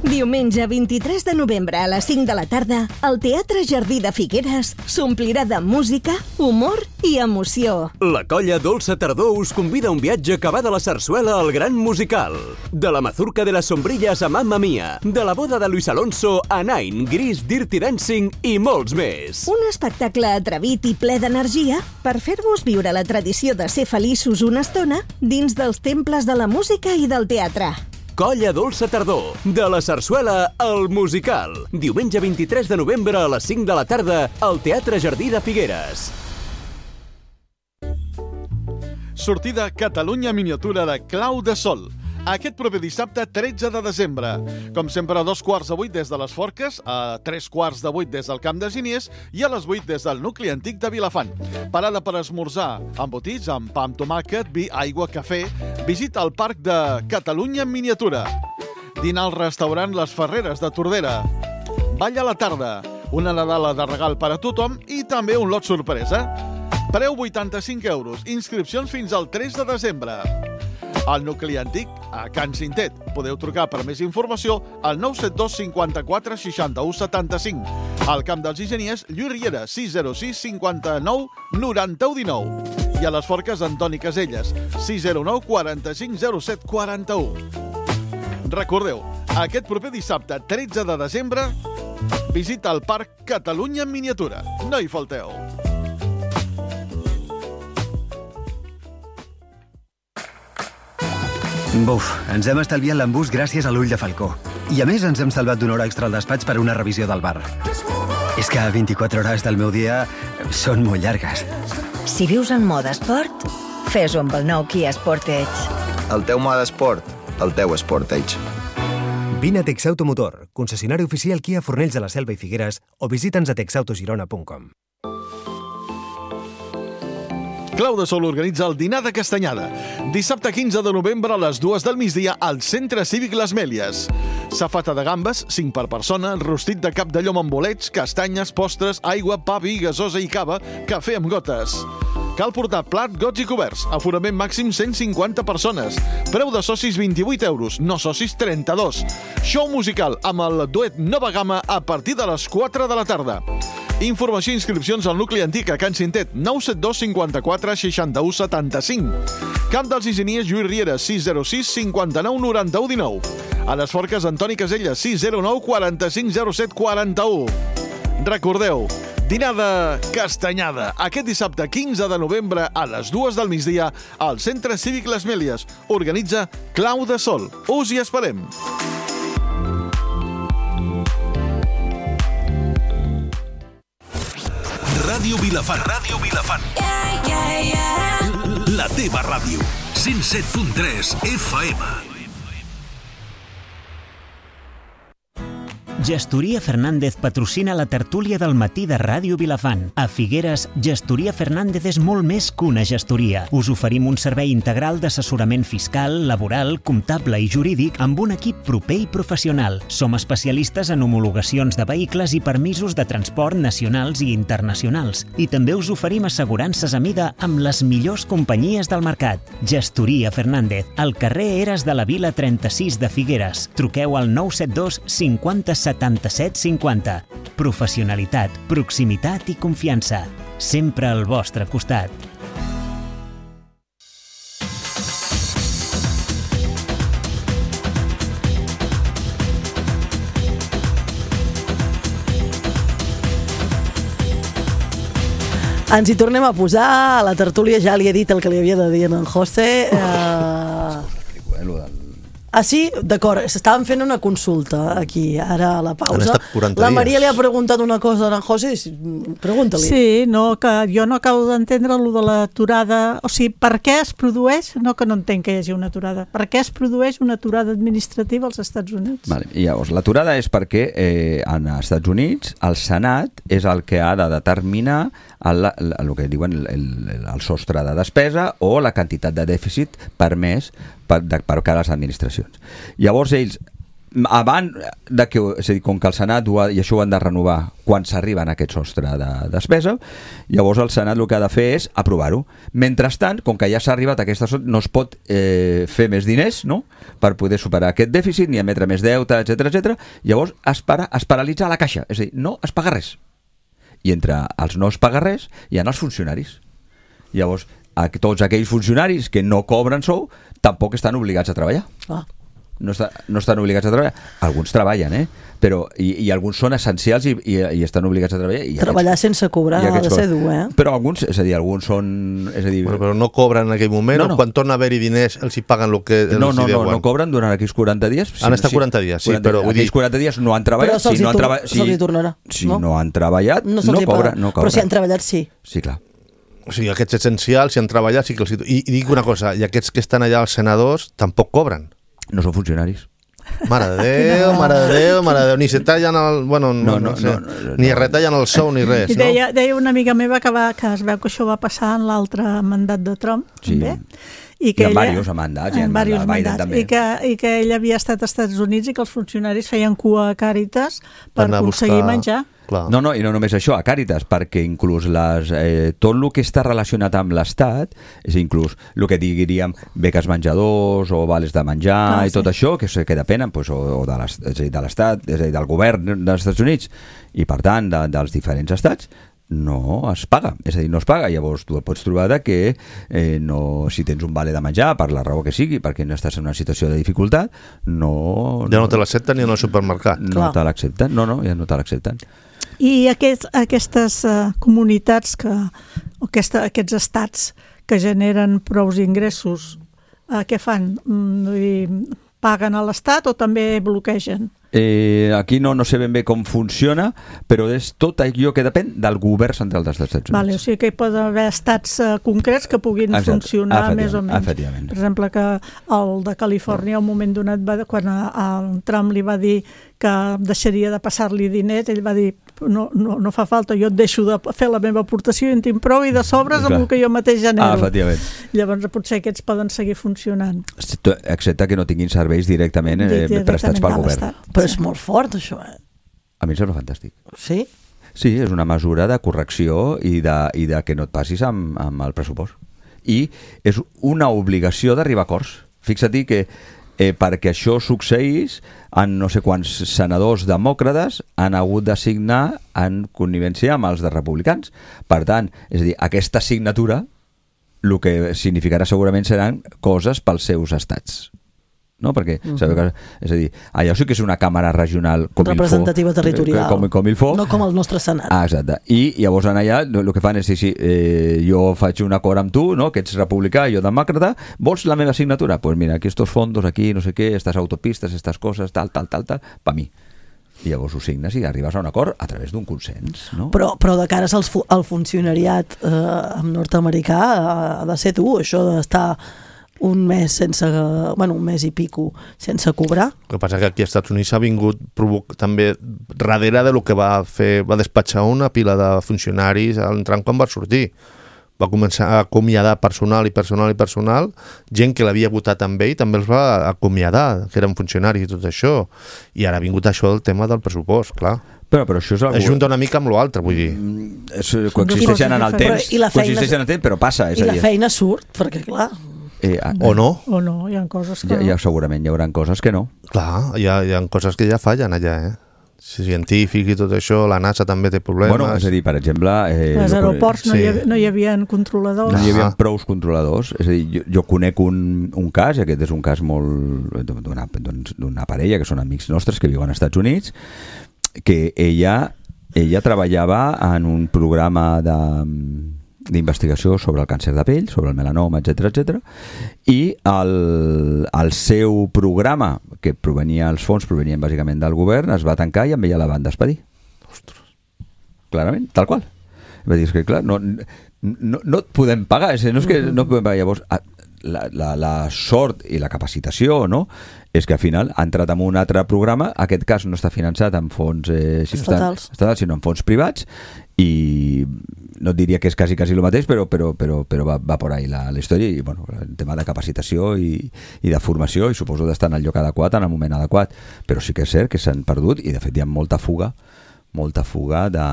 Diumenge vint-i-tres de novembre a les cinc de la tarda, el Teatre Jardí de Figueres s'omplirà de música, humor i emoció. La colla Dolça Tardor us convida a un viatge que va de la sarsuela al gran musical. De la mazurca de las sombrillas a Mamma Mia, de la boda de Luis Alonso a Nine, Gris, Dirty Dancing i molts més. Un espectacle atrevit i ple d'energia per fer-vos viure la tradició de ser feliços una estona dins dels temples de la música i del teatre. Colla Dolça Tardor, de la sarsuela al musical. Diumenge vint-i-tres de novembre a les cinc de la tarda al Teatre Jardí de Figueres. Sortida Catalunya Miniatura de Clau de Sol. Aquest proper dissabte, tretze de desembre. Com sempre, a dos quarts de vuit des de les Forques, a tres quarts de vuit des del Camp de Giniers i a les vuit des del nucli antic de Vilafant. Parada per esmorzar, embotits amb pa amb tomàquet, vi, aigua, cafè. Visita el Parc de Catalunya en miniatura. Dinar al restaurant Les Ferreres de Tordera. Ball a la tarda. Una nadala de regal per a tothom i també un lot sorpresa. Preu vuitanta-cinc euros. Inscripcions fins al tres de desembre. Al nucli antic, a Can Cintet. Podeu trucar per més informació al nou set dos cinquanta-quatre seixanta-u setanta-cinc. Al Camp dels Ingeniers, Lluís Riera, sis zero sis cinquanta-nou noranta-u dinou. I a les Forques, Antoni Caselles, sis zero nou quaranta-cinc zero set quaranta-u. Recordeu, aquest proper dissabte, tretze de desembre, visita el Parc Catalunya en miniatura. No hi falteu. Buf, ens hem estalviat l'embús gràcies a l'ull de falcó. I a més ens hem salvat d'una hora extra al despatx per una revisió del bar. És que vint-i-quatre hores del meu dia són molt llargues. Si vius en mode esport, fes-ho amb el nou Kia Sportage. El teu mode esport, el teu Sportage. Vine a Texauto Motor, concessionari oficial Kia Fornells de la Selva i Figueres, o visita'ns a texautogirona punt com. Clau de Sol organitza el dinar de Castanyada. Dissabte quinze de novembre a les dues del migdia al Centre Cívic Les Mèlies. Safata de gambes, cinc per persona, rostit de cap de llom amb bolets, castanyes, postres, aigua, pa, vi, gasosa i cava, cafè amb gotes. Cal portar plat, gots i coberts. Aforament màxim cent cinquanta persones. Preu de socis vint-i-vuit euros, no socis trenta-dos. Show musical amb el duet Nova Gamma a partir de les quatre de la tarda. Informació i inscripcions al nucli antic a Can Cintet, nou set dos cinquanta-quatre seixanta-u setanta-cinc. Camp dels Ingeniers, Lluís Riera, sis zero sis cinquanta-nou noranta-u dinou. A les Forques, Antoni Caselles, sis zero nou quaranta-cinc zero set quaranta-u. Recordeu, dinar de Castanyada, aquest dissabte quinze de novembre a les dues del migdia al Centre Cívic Les Mèlies. Organitza Clau de Sol. Us hi esperem. Ràdio Vilafant. Ràdio Vilafant. Yeah, yeah, yeah. La teva ràdio. cent set punt tres F M. Gestoria Fernández patrocina la tertúlia del matí de Ràdio Vilafant. A Figueres, Gestoria Fernández és molt més que una gestoria. Us oferim un servei integral d'assessorament fiscal, laboral, comptable i jurídic amb un equip proper i professional. Som especialistes en homologacions de vehicles i permisos de transport nacionals i internacionals. I també us oferim assegurances a mida amb les millors companyies del mercat. Gestoria Fernández, al carrer Eres de la Vila trenta-sis de Figueres. Truqueu al nou set dos cinquanta setanta-set cinquanta. Professionalitat, proximitat i confiança. sempre al vostre costat. Ens hi tornem a posar, a la tertúlia ja li he dit el que li havia de dir en José. Uh... Ah, sí? D'acord, s'estaven fent una consulta aquí, ara a la pausa. La Maria li ha preguntat una cosa a en José, pregunta-li. Sí, no, que jo no acabo d'entendre allò de l'aturada, o sigui, per què es produeix, no que no entenc que hi hagi una aturada, per què es produeix una aturada administrativa als Estats Units? Vale. I llavors, l'aturada és perquè eh, en els Estats Units el Senat és el que ha de determinar el, el, el que diuen el, el, el sostre de despesa o la quantitat de dèficit permès per, de, per cada les administracions. Llavors ells, abans de que, és a dir, com que el Senat ho ha, i això ho han de renovar quan s'arriben a aquest sostre de despesa, llavors el Senat el que ha de fer és aprovar-ho. Mentrestant, com que ja s'ha arribat a aquesta sostre, no es pot eh, fer més diners, no?, per poder superar aquest dèficit, ni emetre més deute, etcètera, etcètera. Llavors es, para, es paralitza la caixa, és a dir, no es paga res. I entre els no es paga res hi ha els funcionaris. Llavors, a tots aquells funcionaris que no cobren sou tampoc estan obligats a treballar. Ah. No, està, no estan obligats a treballar. Alguns treballen, eh? Però, i, i alguns són essencials i, i, i estan obligats a treballar. I treballar aquests, sense cobrar ha de ser dur, eh? Però alguns, és a dir, alguns són... És a dir, bueno, però no cobren en aquell moment, no, no. O quan torna a haver-hi diners els hi paguen el que els no, no, hi deuen? No, no cobren durant aquells quaranta dies. Han estat quaranta dies, sí, quaranta, però... Vull aquells dir... quaranta dies no han treballat. Però se'ls si no hi, treba... si, tornarà. Si no, no han treballat, no, no cobren. No però si han treballat, sí. Sí, clar. O sigui, aquests essencials, si han treballat, sí que els... I, i dic una cosa, i aquests que estan allà, els senadors, tampoc cobren. No són funcionaris. Mare de Déu, mare de Déu, mare de Déu, ni se tallen el... Bueno, no, no, no, sé, no, no, ni retallen el sou ni res, I deia, no? Deia una amiga meva que, va, que es veu que això va passar en l'altre mandat de Trump, sí. També. I, que I en ella, diversos mandats, i en, en diversos mandats, també. I que, I que ell havia estat als Estats Units i que els funcionaris feien cua a Càritas per, per aconseguir buscar... menjar. Clar. No, no, i no només això, a Càritas, perquè inclús les, eh, tot el que està relacionat amb l'Estat, és inclús el que diríem beques menjadors o vales de menjar ah, i tot sí. Això, que, que depenen pues, o, o de l'Estat, és a dir, del govern dels Estats Units i per tant de, dels diferents estats, no es paga, és a dir, no es paga. Llavors tu et pots trobar de que eh, no, si tens un vale de menjar, per la raó que sigui, perquè no estàs en una situació de dificultat, no... Ja no, no te l'accepten ni en el supermercat. No Clar. te l'accepten, no, no, ja no te l'accepten. I aquest, aquestes uh, comunitats, que, o aquesta, aquests estats que generen prous ingressos, uh, què fan? Mm, vull dir, paguen a l'Estat o també bloquegen? Eh, aquí no, no sé ben bé com funciona, però és tot allò que depèn del govern central dels Estats Units. Vale, o sigui que hi pot haver estats uh, concrets que puguin Exacte. funcionar més o menys. Per exemple, que el de Califòrnia, un moment donat, va, quan a, a Trump li va dir que deixaria de passar-li diners, ell va dir, no, no, no fa falta, jo et deixo de fer la meva aportació i en tinc prou i de sobres amb el que jo mateix genero. Ah, efectivament. Llavors potser aquests poden seguir funcionant. Excepte que no tinguin serveis directament, eh, directament prestats pel govern. Però és molt fort, això, eh? A mi em sembla fantàstic. Sí? Sí, és una mesura de correcció i de, i de que no et passis amb, amb el pressupost. I és una obligació d'arribar a acords. Fixa-t'hi que eh, perquè això succeís, en no sé quants senadors demòcrates han hagut de signar en connivència amb els de republicans. Per tant, és a dir, aquesta signatura el que significarà segurament seran coses pels seus estats. No? Perquè, uh-huh. sabeu que, és a dir, allò sí que és una càmera regional com representativa il fo, territorial, com, com il fo. No com el nostre Senat. Ah, exacte. I llavors en allà el que fan és dir, sí, eh, jo faig un acord amb tu, no? Que ets republicà, jo demòcrata, vols la meva signatura? Doncs pues mira, aquí estos fondos, aquí, no sé què, estas autopistes, estas coses, tal, tal, tal, tal, per mi. I llavors ho signes i arribes a un acord a través d'un consens, no? Però, però de cares al, fu al funcionariat eh, nord-americà ha de ser tu, això d'estar un mes sense, bueno, un mes i pico sense cobrar. El que passa que aquí als Estats Units ha vingut provoc, també darrere de lo que va fer, va despatxar una pila de funcionaris al Trump quan va sortir. Va començar a acomiadar personal i personal i personal, gent que l'havia votat amb ell també els va acomiadar, que eren funcionaris i tot això. I ara ha vingut això del tema del pressupost, clar. Però, però això és algú... Ajunta una mica amb l'altre, vull dir. Mm, és, coexisteixen en el temps, feina, coexisteixen en el temps, però passa. És I a dir, la feina surt, perquè clar... Eh, o no. O no, hi ha coses que ja, no. Ja, segurament hi haurà coses que no. Clar, hi ha, hi ha coses que ja fallen allà, eh? científics i tot això, la NASA també té problemes. Bueno, és a dir, per exemple... Eh, als aeroports no, sí. hi havia, no hi havia controladors. No hi havia prous controladors. És a dir, jo, jo conec un, un cas, i aquest és un cas molt d'una, d'una parella que són amics nostres que viuen als Estats Units, que ella, ella treballava en un programa de... d'investigació sobre el càncer de pell, sobre el melanoma, etcètera, etcètera, i el, el seu programa, que provenia, els fons provenien bàsicament del govern, es va tancar i amb ella la van despedir. Ostres. Clarament, tal qual. Va dir, és que clar, no, no, no et podem pagar, és, no és que no podem pagar. Llavors, la, la, la sort i la capacitació, no?, és que al final ha entrat en un altre programa, aquest cas no està finançat amb fons eh, si estatals. No estatals, sinó en fons privats, i no et diria que és quasi, quasi el mateix, però, però, però, però va, va por ahí la, la història, i bueno, el tema de capacitació i, i de formació, i suposo d'estar en el lloc adequat, en el moment adequat, però sí que és cert que s'han perdut, i de fet hi ha molta fuga, molta fuga de,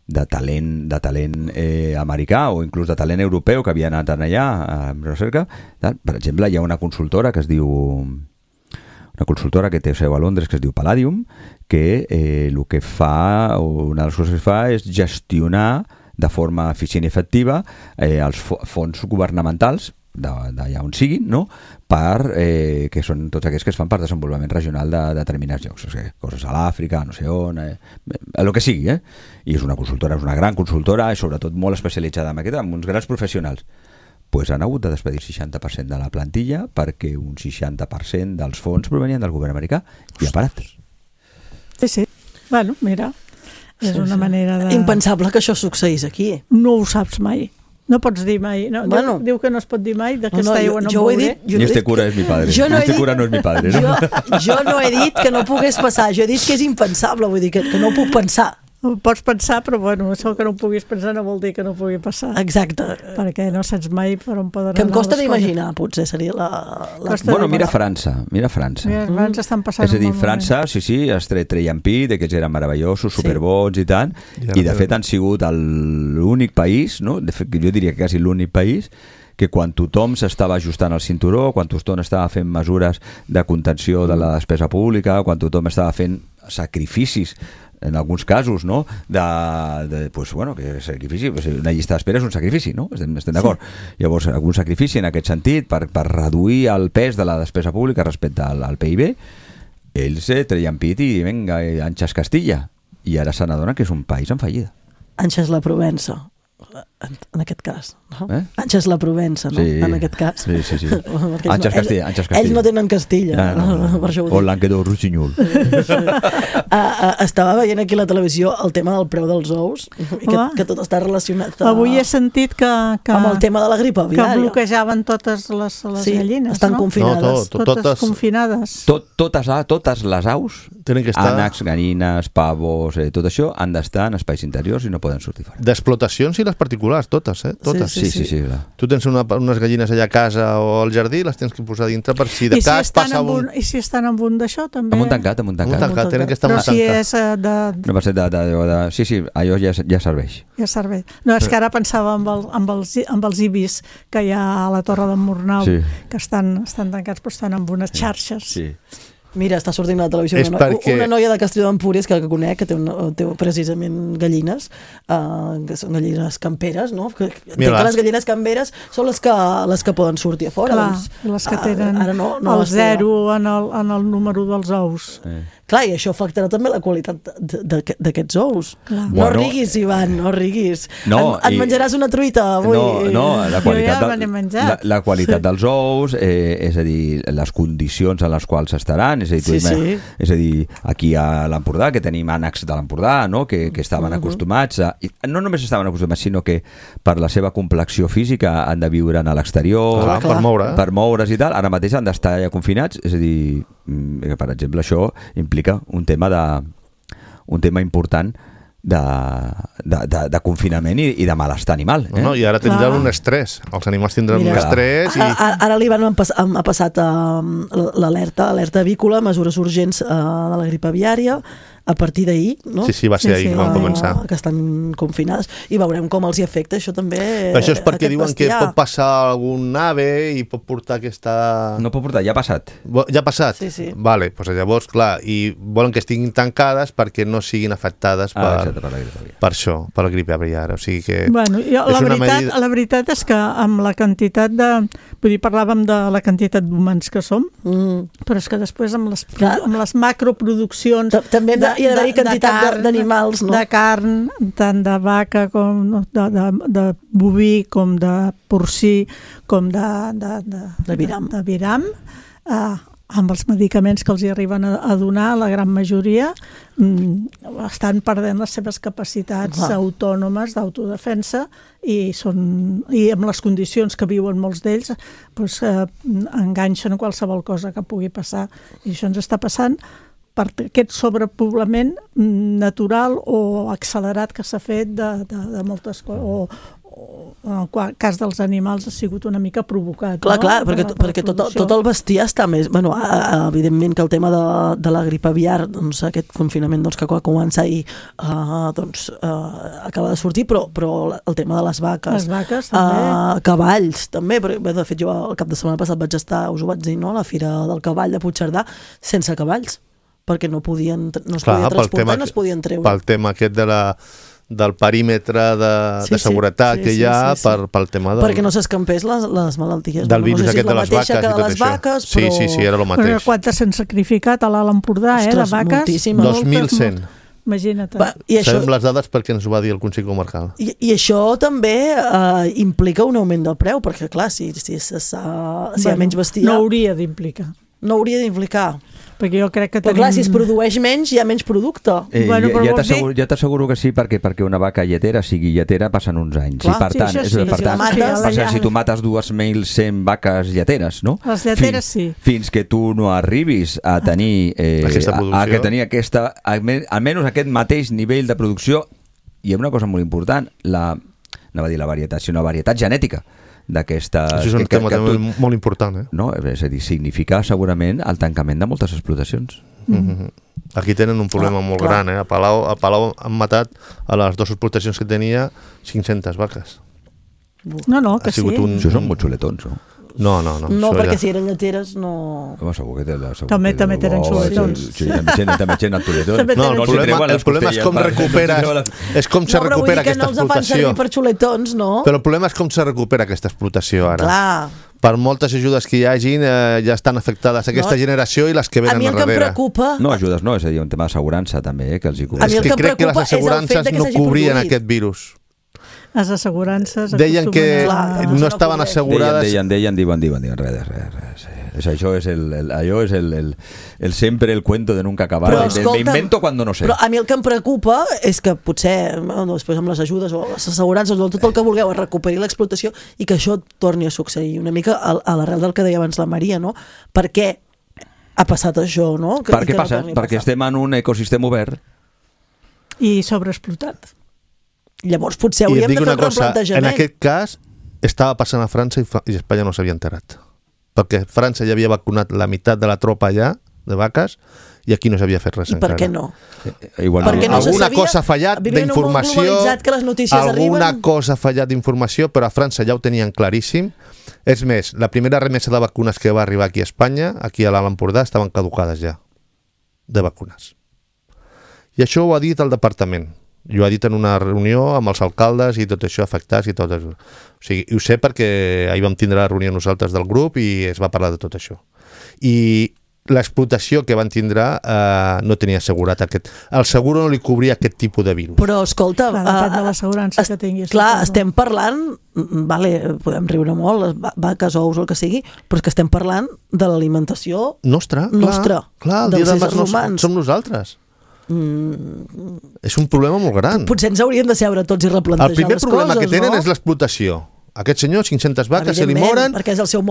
de talent, de talent eh, americà o inclús de talent europeu que havia anat allà en recerca. Per exemple, hi ha una consultora que es diu... una consultora que té seu a Londres que es diu Palladium, que eh, el que fa, o una de les coses que fa és gestionar de forma eficient i efectiva eh, els fons governamentals d'allà on siguin, no? Per, eh, que són tots aquells que es fan per desenvolupament regional de, de determinats llocs, o sigui, coses a l'Àfrica, no sé on, eh, el que sigui, eh? I és una consultora, és una gran consultora, i sobretot molt especialitzada en aquest, amb uns grans professionals. Pues han hagut de despedir el seixanta per cent de la plantilla perquè un seixanta per cent dels fons provenien del govern americà i ha parat. Sí, sí. Bueno, mira, és sí, una sí. manera de... Impensable que això succeís aquí. No ho saps mai. No pots dir mai. No, bueno, diu, diu que no es pot dir mai d'aquesta no, no, aigua no jo, jo em dit, Ni este cura és mi padre. Jo no este dit, cura no és mi padre. No? Jo, jo no he dit que no pogués passar, jo he dit que és impensable, vull dir que, que no ho puc pensar. Ho pots pensar, però bueno, això que no ho puguis pensar no vol dir que no pugui passar. Exacte. Perquè no saps mai per on poden anar. Que em costa d'imaginar, potser seria la... la... Bueno, mira França, mira França. Mira, França estan passant és a dir, un França, sí, sí, es treien pit, que ells eren meravellosos, superbons i tant, Ja i de no fet han sigut l'únic país, no? De fet, jo diria que quasi l'únic país que quan tothom s'estava ajustant al cinturó, quan tothom estava fent mesures de contenció de la despesa pública, quan tothom estava fent sacrificis en alguns casos, no? De, de pues, bueno, que sacrifici, pues, una llista d'espera és un sacrifici, no? Estem, estem d'acord. Sí. Llavors, algun sacrifici en aquest sentit per, per reduir el pes de la despesa pública respecte al, al P I B, ells eh, treien pit i venga, Anxes Castilla, i ara se n'adonen que és un país en fallida. Anxes la Provença, en, en aquest cas, no? Eh? Anxes la Provença, no? Sí. En aquest cas. Sí, sí, sí. no, Anxes Castilla, Anxes Castilla. Ells no tenen Castilla. Ah, no, no, no. Per això ho o dic. Languedoc-Rossinyol. uh, uh, estava veient aquí a la televisió el tema del preu dels ous, i que, Ah. que tot està relacionat uh, Avui he sentit que, que... amb el tema de la grip que aviària. bloquejaven totes les, les Sí, gallines, estan no? confinades. No, tot, totes, totes- confinades. Tot, totes, totes les aus, Tenen que estar- ànecs, gallines, pavos, eh, tot això, han d'estar en espais interiors i no poden sortir fora. D'explotacions i les particulars, totes, eh? Totes. Sí, sí, sí. clar. Tu tens una, unes gallines allà a casa o al jardí, les tens que posar dintre per si de I si, cas estan passa amb un, un... I si estan amb un d'això, també... Amb un tancat, amb un Amb un tancat. tancat, tenen que estar amb Però un si tancat. és eh, de... No va ser de, de, de, de... Sí, sí, allò ja, ja serveix. Ja serveix. No, és que ara pensava amb, el, amb, els, amb els ibis que hi ha a la Torre d'en Murnau, Sí. que estan, estan tancats però estan amb unes xarxes. Sí. Mira, està sortint a la televisió És una, noia, perquè- una noia de Castelló d'Empúries que, que conec, que té, una, té precisament gallines, uh, que són gallines camperes, no? Que, entenc Mira. que les gallines camperes són les que, les que poden sortir a fora. Clar, doncs, i les que ah, tenen ara no, no el les té. zero en el, en el número dels ous. Eh. Clar, i això afectarà també la qualitat de- de- d'aquests ous. Clar. No Bueno, riguis, Ivan, no riguis. No, et, et i- menjaràs una truita avui. No, no, la qualitat, Jo ja me de, n'he menjat. la, la qualitat dels ous, eh, és a dir, les condicions en les quals estaran, és a dir, tu Sí, ima- sí. és a dir, aquí a l'Empordà, que tenim ànecs de l'Empordà, no? que, que estaven Mhm. acostumats a... I no només estaven acostumats, sinó que per la seva complexió física han de viure a l'exterior, Clar, per moure. per moure's i tal, ara mateix han d'estar allà confinats, és a dir, mm, que, per exemple, això implica un tema de un tema important de, de, de, de confinament i, i de malestar animal. Eh? No, no, i ara tindran Clar. un estrès. Els animals tindran Mira, un estrès i... Ara, ara l'Ivan m'ha pas, m'ha passat uh, l'alerta, alerta avícola, mesures urgents uh, de la grip aviària, a partir d'ahir, no? Sí, sí, va ser sí, ahir sí, que van començar. Que estan confinades, i veurem com els hi afecta això també. Però això és perquè diuen bestiar. Que pot passar algun ave i pot portar aquesta... No pot portar, ja ha passat. Ja ha passat? Sí, sí. Vale, doncs llavors, clar, i volen que estiguin tancades perquè no siguin afectades per, ah, exacte, per, la gripe per això, per la gripe aviària. O sigui que... Bueno, jo, la, veritat, medida... la veritat és que amb la quantitat de... Vull dir, parlàvem de la quantitat d'humans que som, mm. però és que després amb les, amb les macroproduccions... També de, hi ha d'haver quantitat d'animals, no? De carn, tant de vaca com de, de, de boví, com de porcí, com de... De, de, de viram. De, de viram. Uh, amb els medicaments que els hi arriben a, a donar, la gran majoria, mm, estan perdent les seves capacitats ah. autònomes d'autodefensa i, són, i amb les condicions que viuen molts d'ells doncs, eh, enganxen qualsevol cosa que pugui passar. I això ens està passant per aquest sobrepoblament natural o accelerat que s'ha fet de, de, de moltes coses, o, o en el cas dels animals ha sigut una mica provocat. Clar, no? clar, perquè, per perquè tot, tot el bestiar està més... Bueno, evidentment que el tema de, de la grip aviar, doncs aquest confinament doncs, que va començar ahir, uh, doncs, uh, acaba de sortir, però, però el tema de les vaques... Les vaques, també. Uh, cavalls, també, perquè de fet jo el cap de setmana passat vaig estar, us ho vaig dir, no?, a la Fira del Cavall de Puigcerdà, sense cavalls, perquè no podien, no es clar, podia transportar, tema, no es podien treure. Pel tema aquest de la... del perímetre de, sí, de seguretat sí, sí, que hi ha sí, sí, sí. Per, pel tema del... Perquè no s'escampés les, les malalties. Del virus no sé si aquest de les vaques que de les vaques, però... Sí, sí, sí, era el mateix. Però quantes s'han sacrificat a l'Alt Empordà, eh, de vaques? Moltíssimes. dos mil cent. Imagina't. Va, i això... Sabem les dades perquè ens ho va dir el Consell Comarcal. I, i això també eh, implica un augment del preu, perquè clar, si, si, si, si bueno, hi ha menys bestiar... No hauria d'implicar. No hauria d'implicar. Perquè jo crec que però tenim... clar, si es produeix menys, hi ha menys producte. Eh, bueno, ja ja t'asseguro ja t'asseguro que sí, perquè perquè una vaca lletera sigui lletera passen uns anys. Clar, i per sí, tant, sí, per si tant mates, per tant, si tu mates dues mil cent vaques lleteres, no? Les lleteres fins, sí. Fins que tu no arribis a tenir eh, aquesta producció. A, a que tenir aquesta, almenys aquest mateix nivell de producció, i una cosa molt important, la, no va dir la varietat, sinó la varietat genètica d'aquesta... Això és un que, tema que, que tu, molt important, eh? No, és a dir, significa segurament el tancament de moltes explotacions. Mm-hmm. Aquí tenen un problema ah, molt clar. gran, eh? A Palau, a Palau han matat a les dues explotacions que tenia cinc-centes vaques. No, no, que sí. Un, Això són molt xuletons, no? No, no, no. No, perquè ja... si eren lleteres no... Home, segur que té la... Segur també que també tenen xuletons. Sí, també tenen xuletons. No, el problema, el problema és com recuperes... És com se recupera aquesta explotació. No, però vull dir que no els fan servir per xuletons, no? Però el problema és com se recupera aquesta explotació ara. Clar. Per moltes ajudes que hi hagin, eh, ja estan afectades aquesta no. generació i les que venen darrere. A mi el que em preocupa... No, ajudes no, és a dir, un tema d'assegurança també, eh, que els hi cobreix. A mi el que em crec que les assegurances no cobrien aquest virus. Les assegurances... Deien que a... no estaven assegurades... Deien, deien, diuen, diuen, diuen, res, res, res. res. Això és el, el, allò és el, el, el sempre el cuento de nunca acabar. Però, escolta, me invento cuando no sé. Però a mi el que em preocupa és que potser bueno, després amb les ajudes o les assegurances o tot el que vulgueu es recuperi l'explotació i que això torni a succeir una mica a, a l'arrel del que deia abans la Maria, no? Per què ha passat això, no? Que, per què passa? No Perquè estem en un ecosistema obert. I sobreexplotat. Llavors potser hauríem de fer un replantejament. En aquest cas estava passant a França i, i Espanya no s'havia enterat. Perquè França ja havia vacunat la meitat de la tropa allà, de vaques, i aquí no s'havia fet res I encara. per què no? Eh, igual Perquè no alguna sabia, cosa ha fallat d'informació, que les notícies alguna arriben. cosa ha fallat d'informació, però a França ja ho tenien claríssim. És més, la primera remesa de vacunes que va arribar aquí a Espanya, aquí a l'Alt Empordà, estaven caducades ja, de vacunes. I això ho ha dit el departament. I ho ha dit en una reunió amb els alcaldes i tot això afectats i tot això. O sigui, ho sé perquè ahir vam tindre la reunió nosaltres del grup i es va parlar de tot això. I l'explotació que van tindre eh, no tenia assegurat aquest... El seguro no li cobria aquest tipus de virus. Però, escolta... Clar, depèn de l'assegurança que tinguis. Clar, estem parlant... Vale, podem riure molt, les vaques, ous, el que sigui, però és que estem parlant de l'alimentació... Nostra, nostra, clar. Clar, el dia demà no som nosaltres. Mm. És un problema molt gran. Potser ens hauríem de seure tots i replantejar les coses, no? El primer problema que tenen no? és l'explotació. Aquest senyor, cinc-centes vaques, se li moren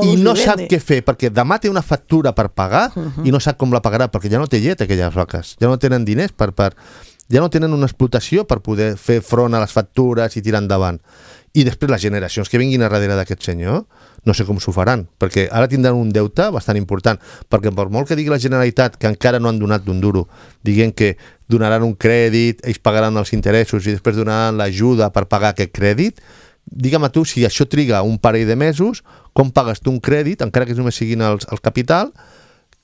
i no sap què fer, perquè demà té una factura per pagar uh -huh. i no sap com la pagarà, perquè ja no té llet aquelles vaques, ja no tenen diners per... per ja no tenen una explotació per poder fer front a les factures i tirar endavant. i després les generacions que vinguin a darrere d'aquest senyor no sé com s'ho faran, perquè ara tindran un deute bastant important, perquè per molt que digui la Generalitat que encara no han donat d'un duro, dient que donaran un crèdit, ells pagaran els interessos i després donaran l'ajuda per pagar aquest crèdit, digue'm a tu, si això triga un parell de mesos, com pagues tu un crèdit, encara que només siguin els, el capital,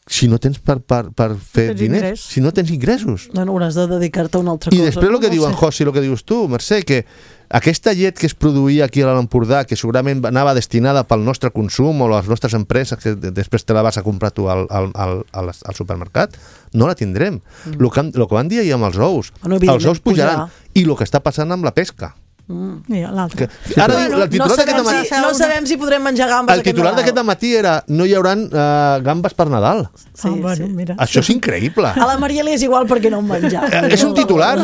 si no tens per, per, per fer tens diners, ingrés. si no tens ingressos. No, no, hauràs de dedicar-te a una altra I cosa. després el que no diu en sé. José, el que dius tu, Mercè, que aquesta llet que es produïa aquí a l'Empordà, que segurament anava destinada pel nostre consum o les nostres empreses, que després te la vas a comprar tu al, al, al, al, al supermercat, no la tindrem. El mm. que, lo que van dir ahir amb els ous, Bueno, els ous pujaran. pujarà. I el que està passant amb la pesca. Mm. I l'altre. Que, ara Bueno, el titular no d'aquest sabem, matí... si, no sabem si podrem menjar gambes El titular d'aquest matí era no hi haurà uh, gambes per Nadal. Sí, ah, bueno, sí. mira. Això és increïble. A la Mariela és igual perquè no en menjar. És un titular,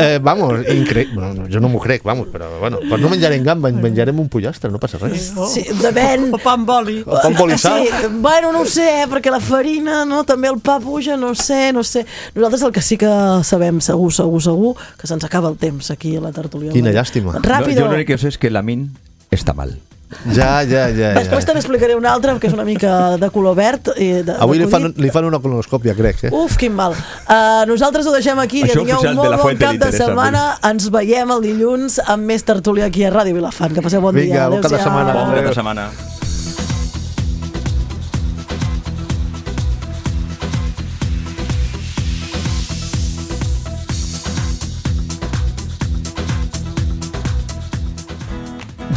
eh, vamos, increïble. Bueno, jo no m'ho crec, vamos, però bueno, pues no menjarem gamba, menjarem un pollastre, no passa res. Sí, depèn. O pa amb oli. O pa amb oli i sal. Sí, bueno, no ho sé, eh, perquè la farina, no, també el pa puja, no sé, no sé. Nosaltres el que sí que sabem segur, segur, segur, que se'ns acaba el temps aquí a la tertúlia. Quina llàstima. Ràpido. No, jo l'únic que sé és que la min està mal. Ja, ja, ja. Després ja. també explicaré una altra, que és una mica de color verd. I de, Avui de li fan, li fan una colonoscòpia, crec. Eh? Uf, quin mal. Uh, nosaltres ho deixem aquí. Això Que tingueu oficial un de molt la bon Fuente cap li de interessa, setmana. Ens veiem el dilluns amb més tertúlia aquí a Ràdio Vilafant. Que passeu bon Vinga, dia. bon cap de Adéu-siau. setmana. Bon cap de setmana.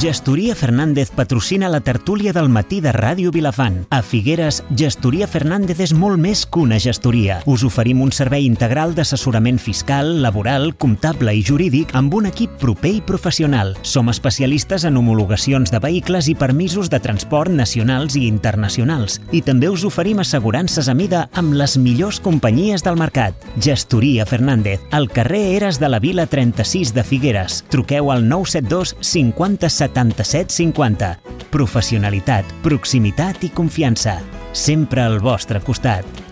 Gestoria Fernández patrocina la tertúlia del matí de Ràdio Vilafant. A Figueres, Gestoria Fernández és molt més que una gestoria. Us oferim un servei integral d'assessorament fiscal, laboral, comptable i jurídic amb un equip proper i professional. Som especialistes en homologacions de vehicles i permisos de transport nacionals i internacionals. I també us oferim assegurances a mida amb les millors companyies del mercat. Gestoria Fernández, al carrer Eres de la Vila trenta-sis de Figueres. Truqueu al nou set dos cinquanta setanta-set cinquanta. Professionalitat, proximitat i confiança. Sempre al vostre costat.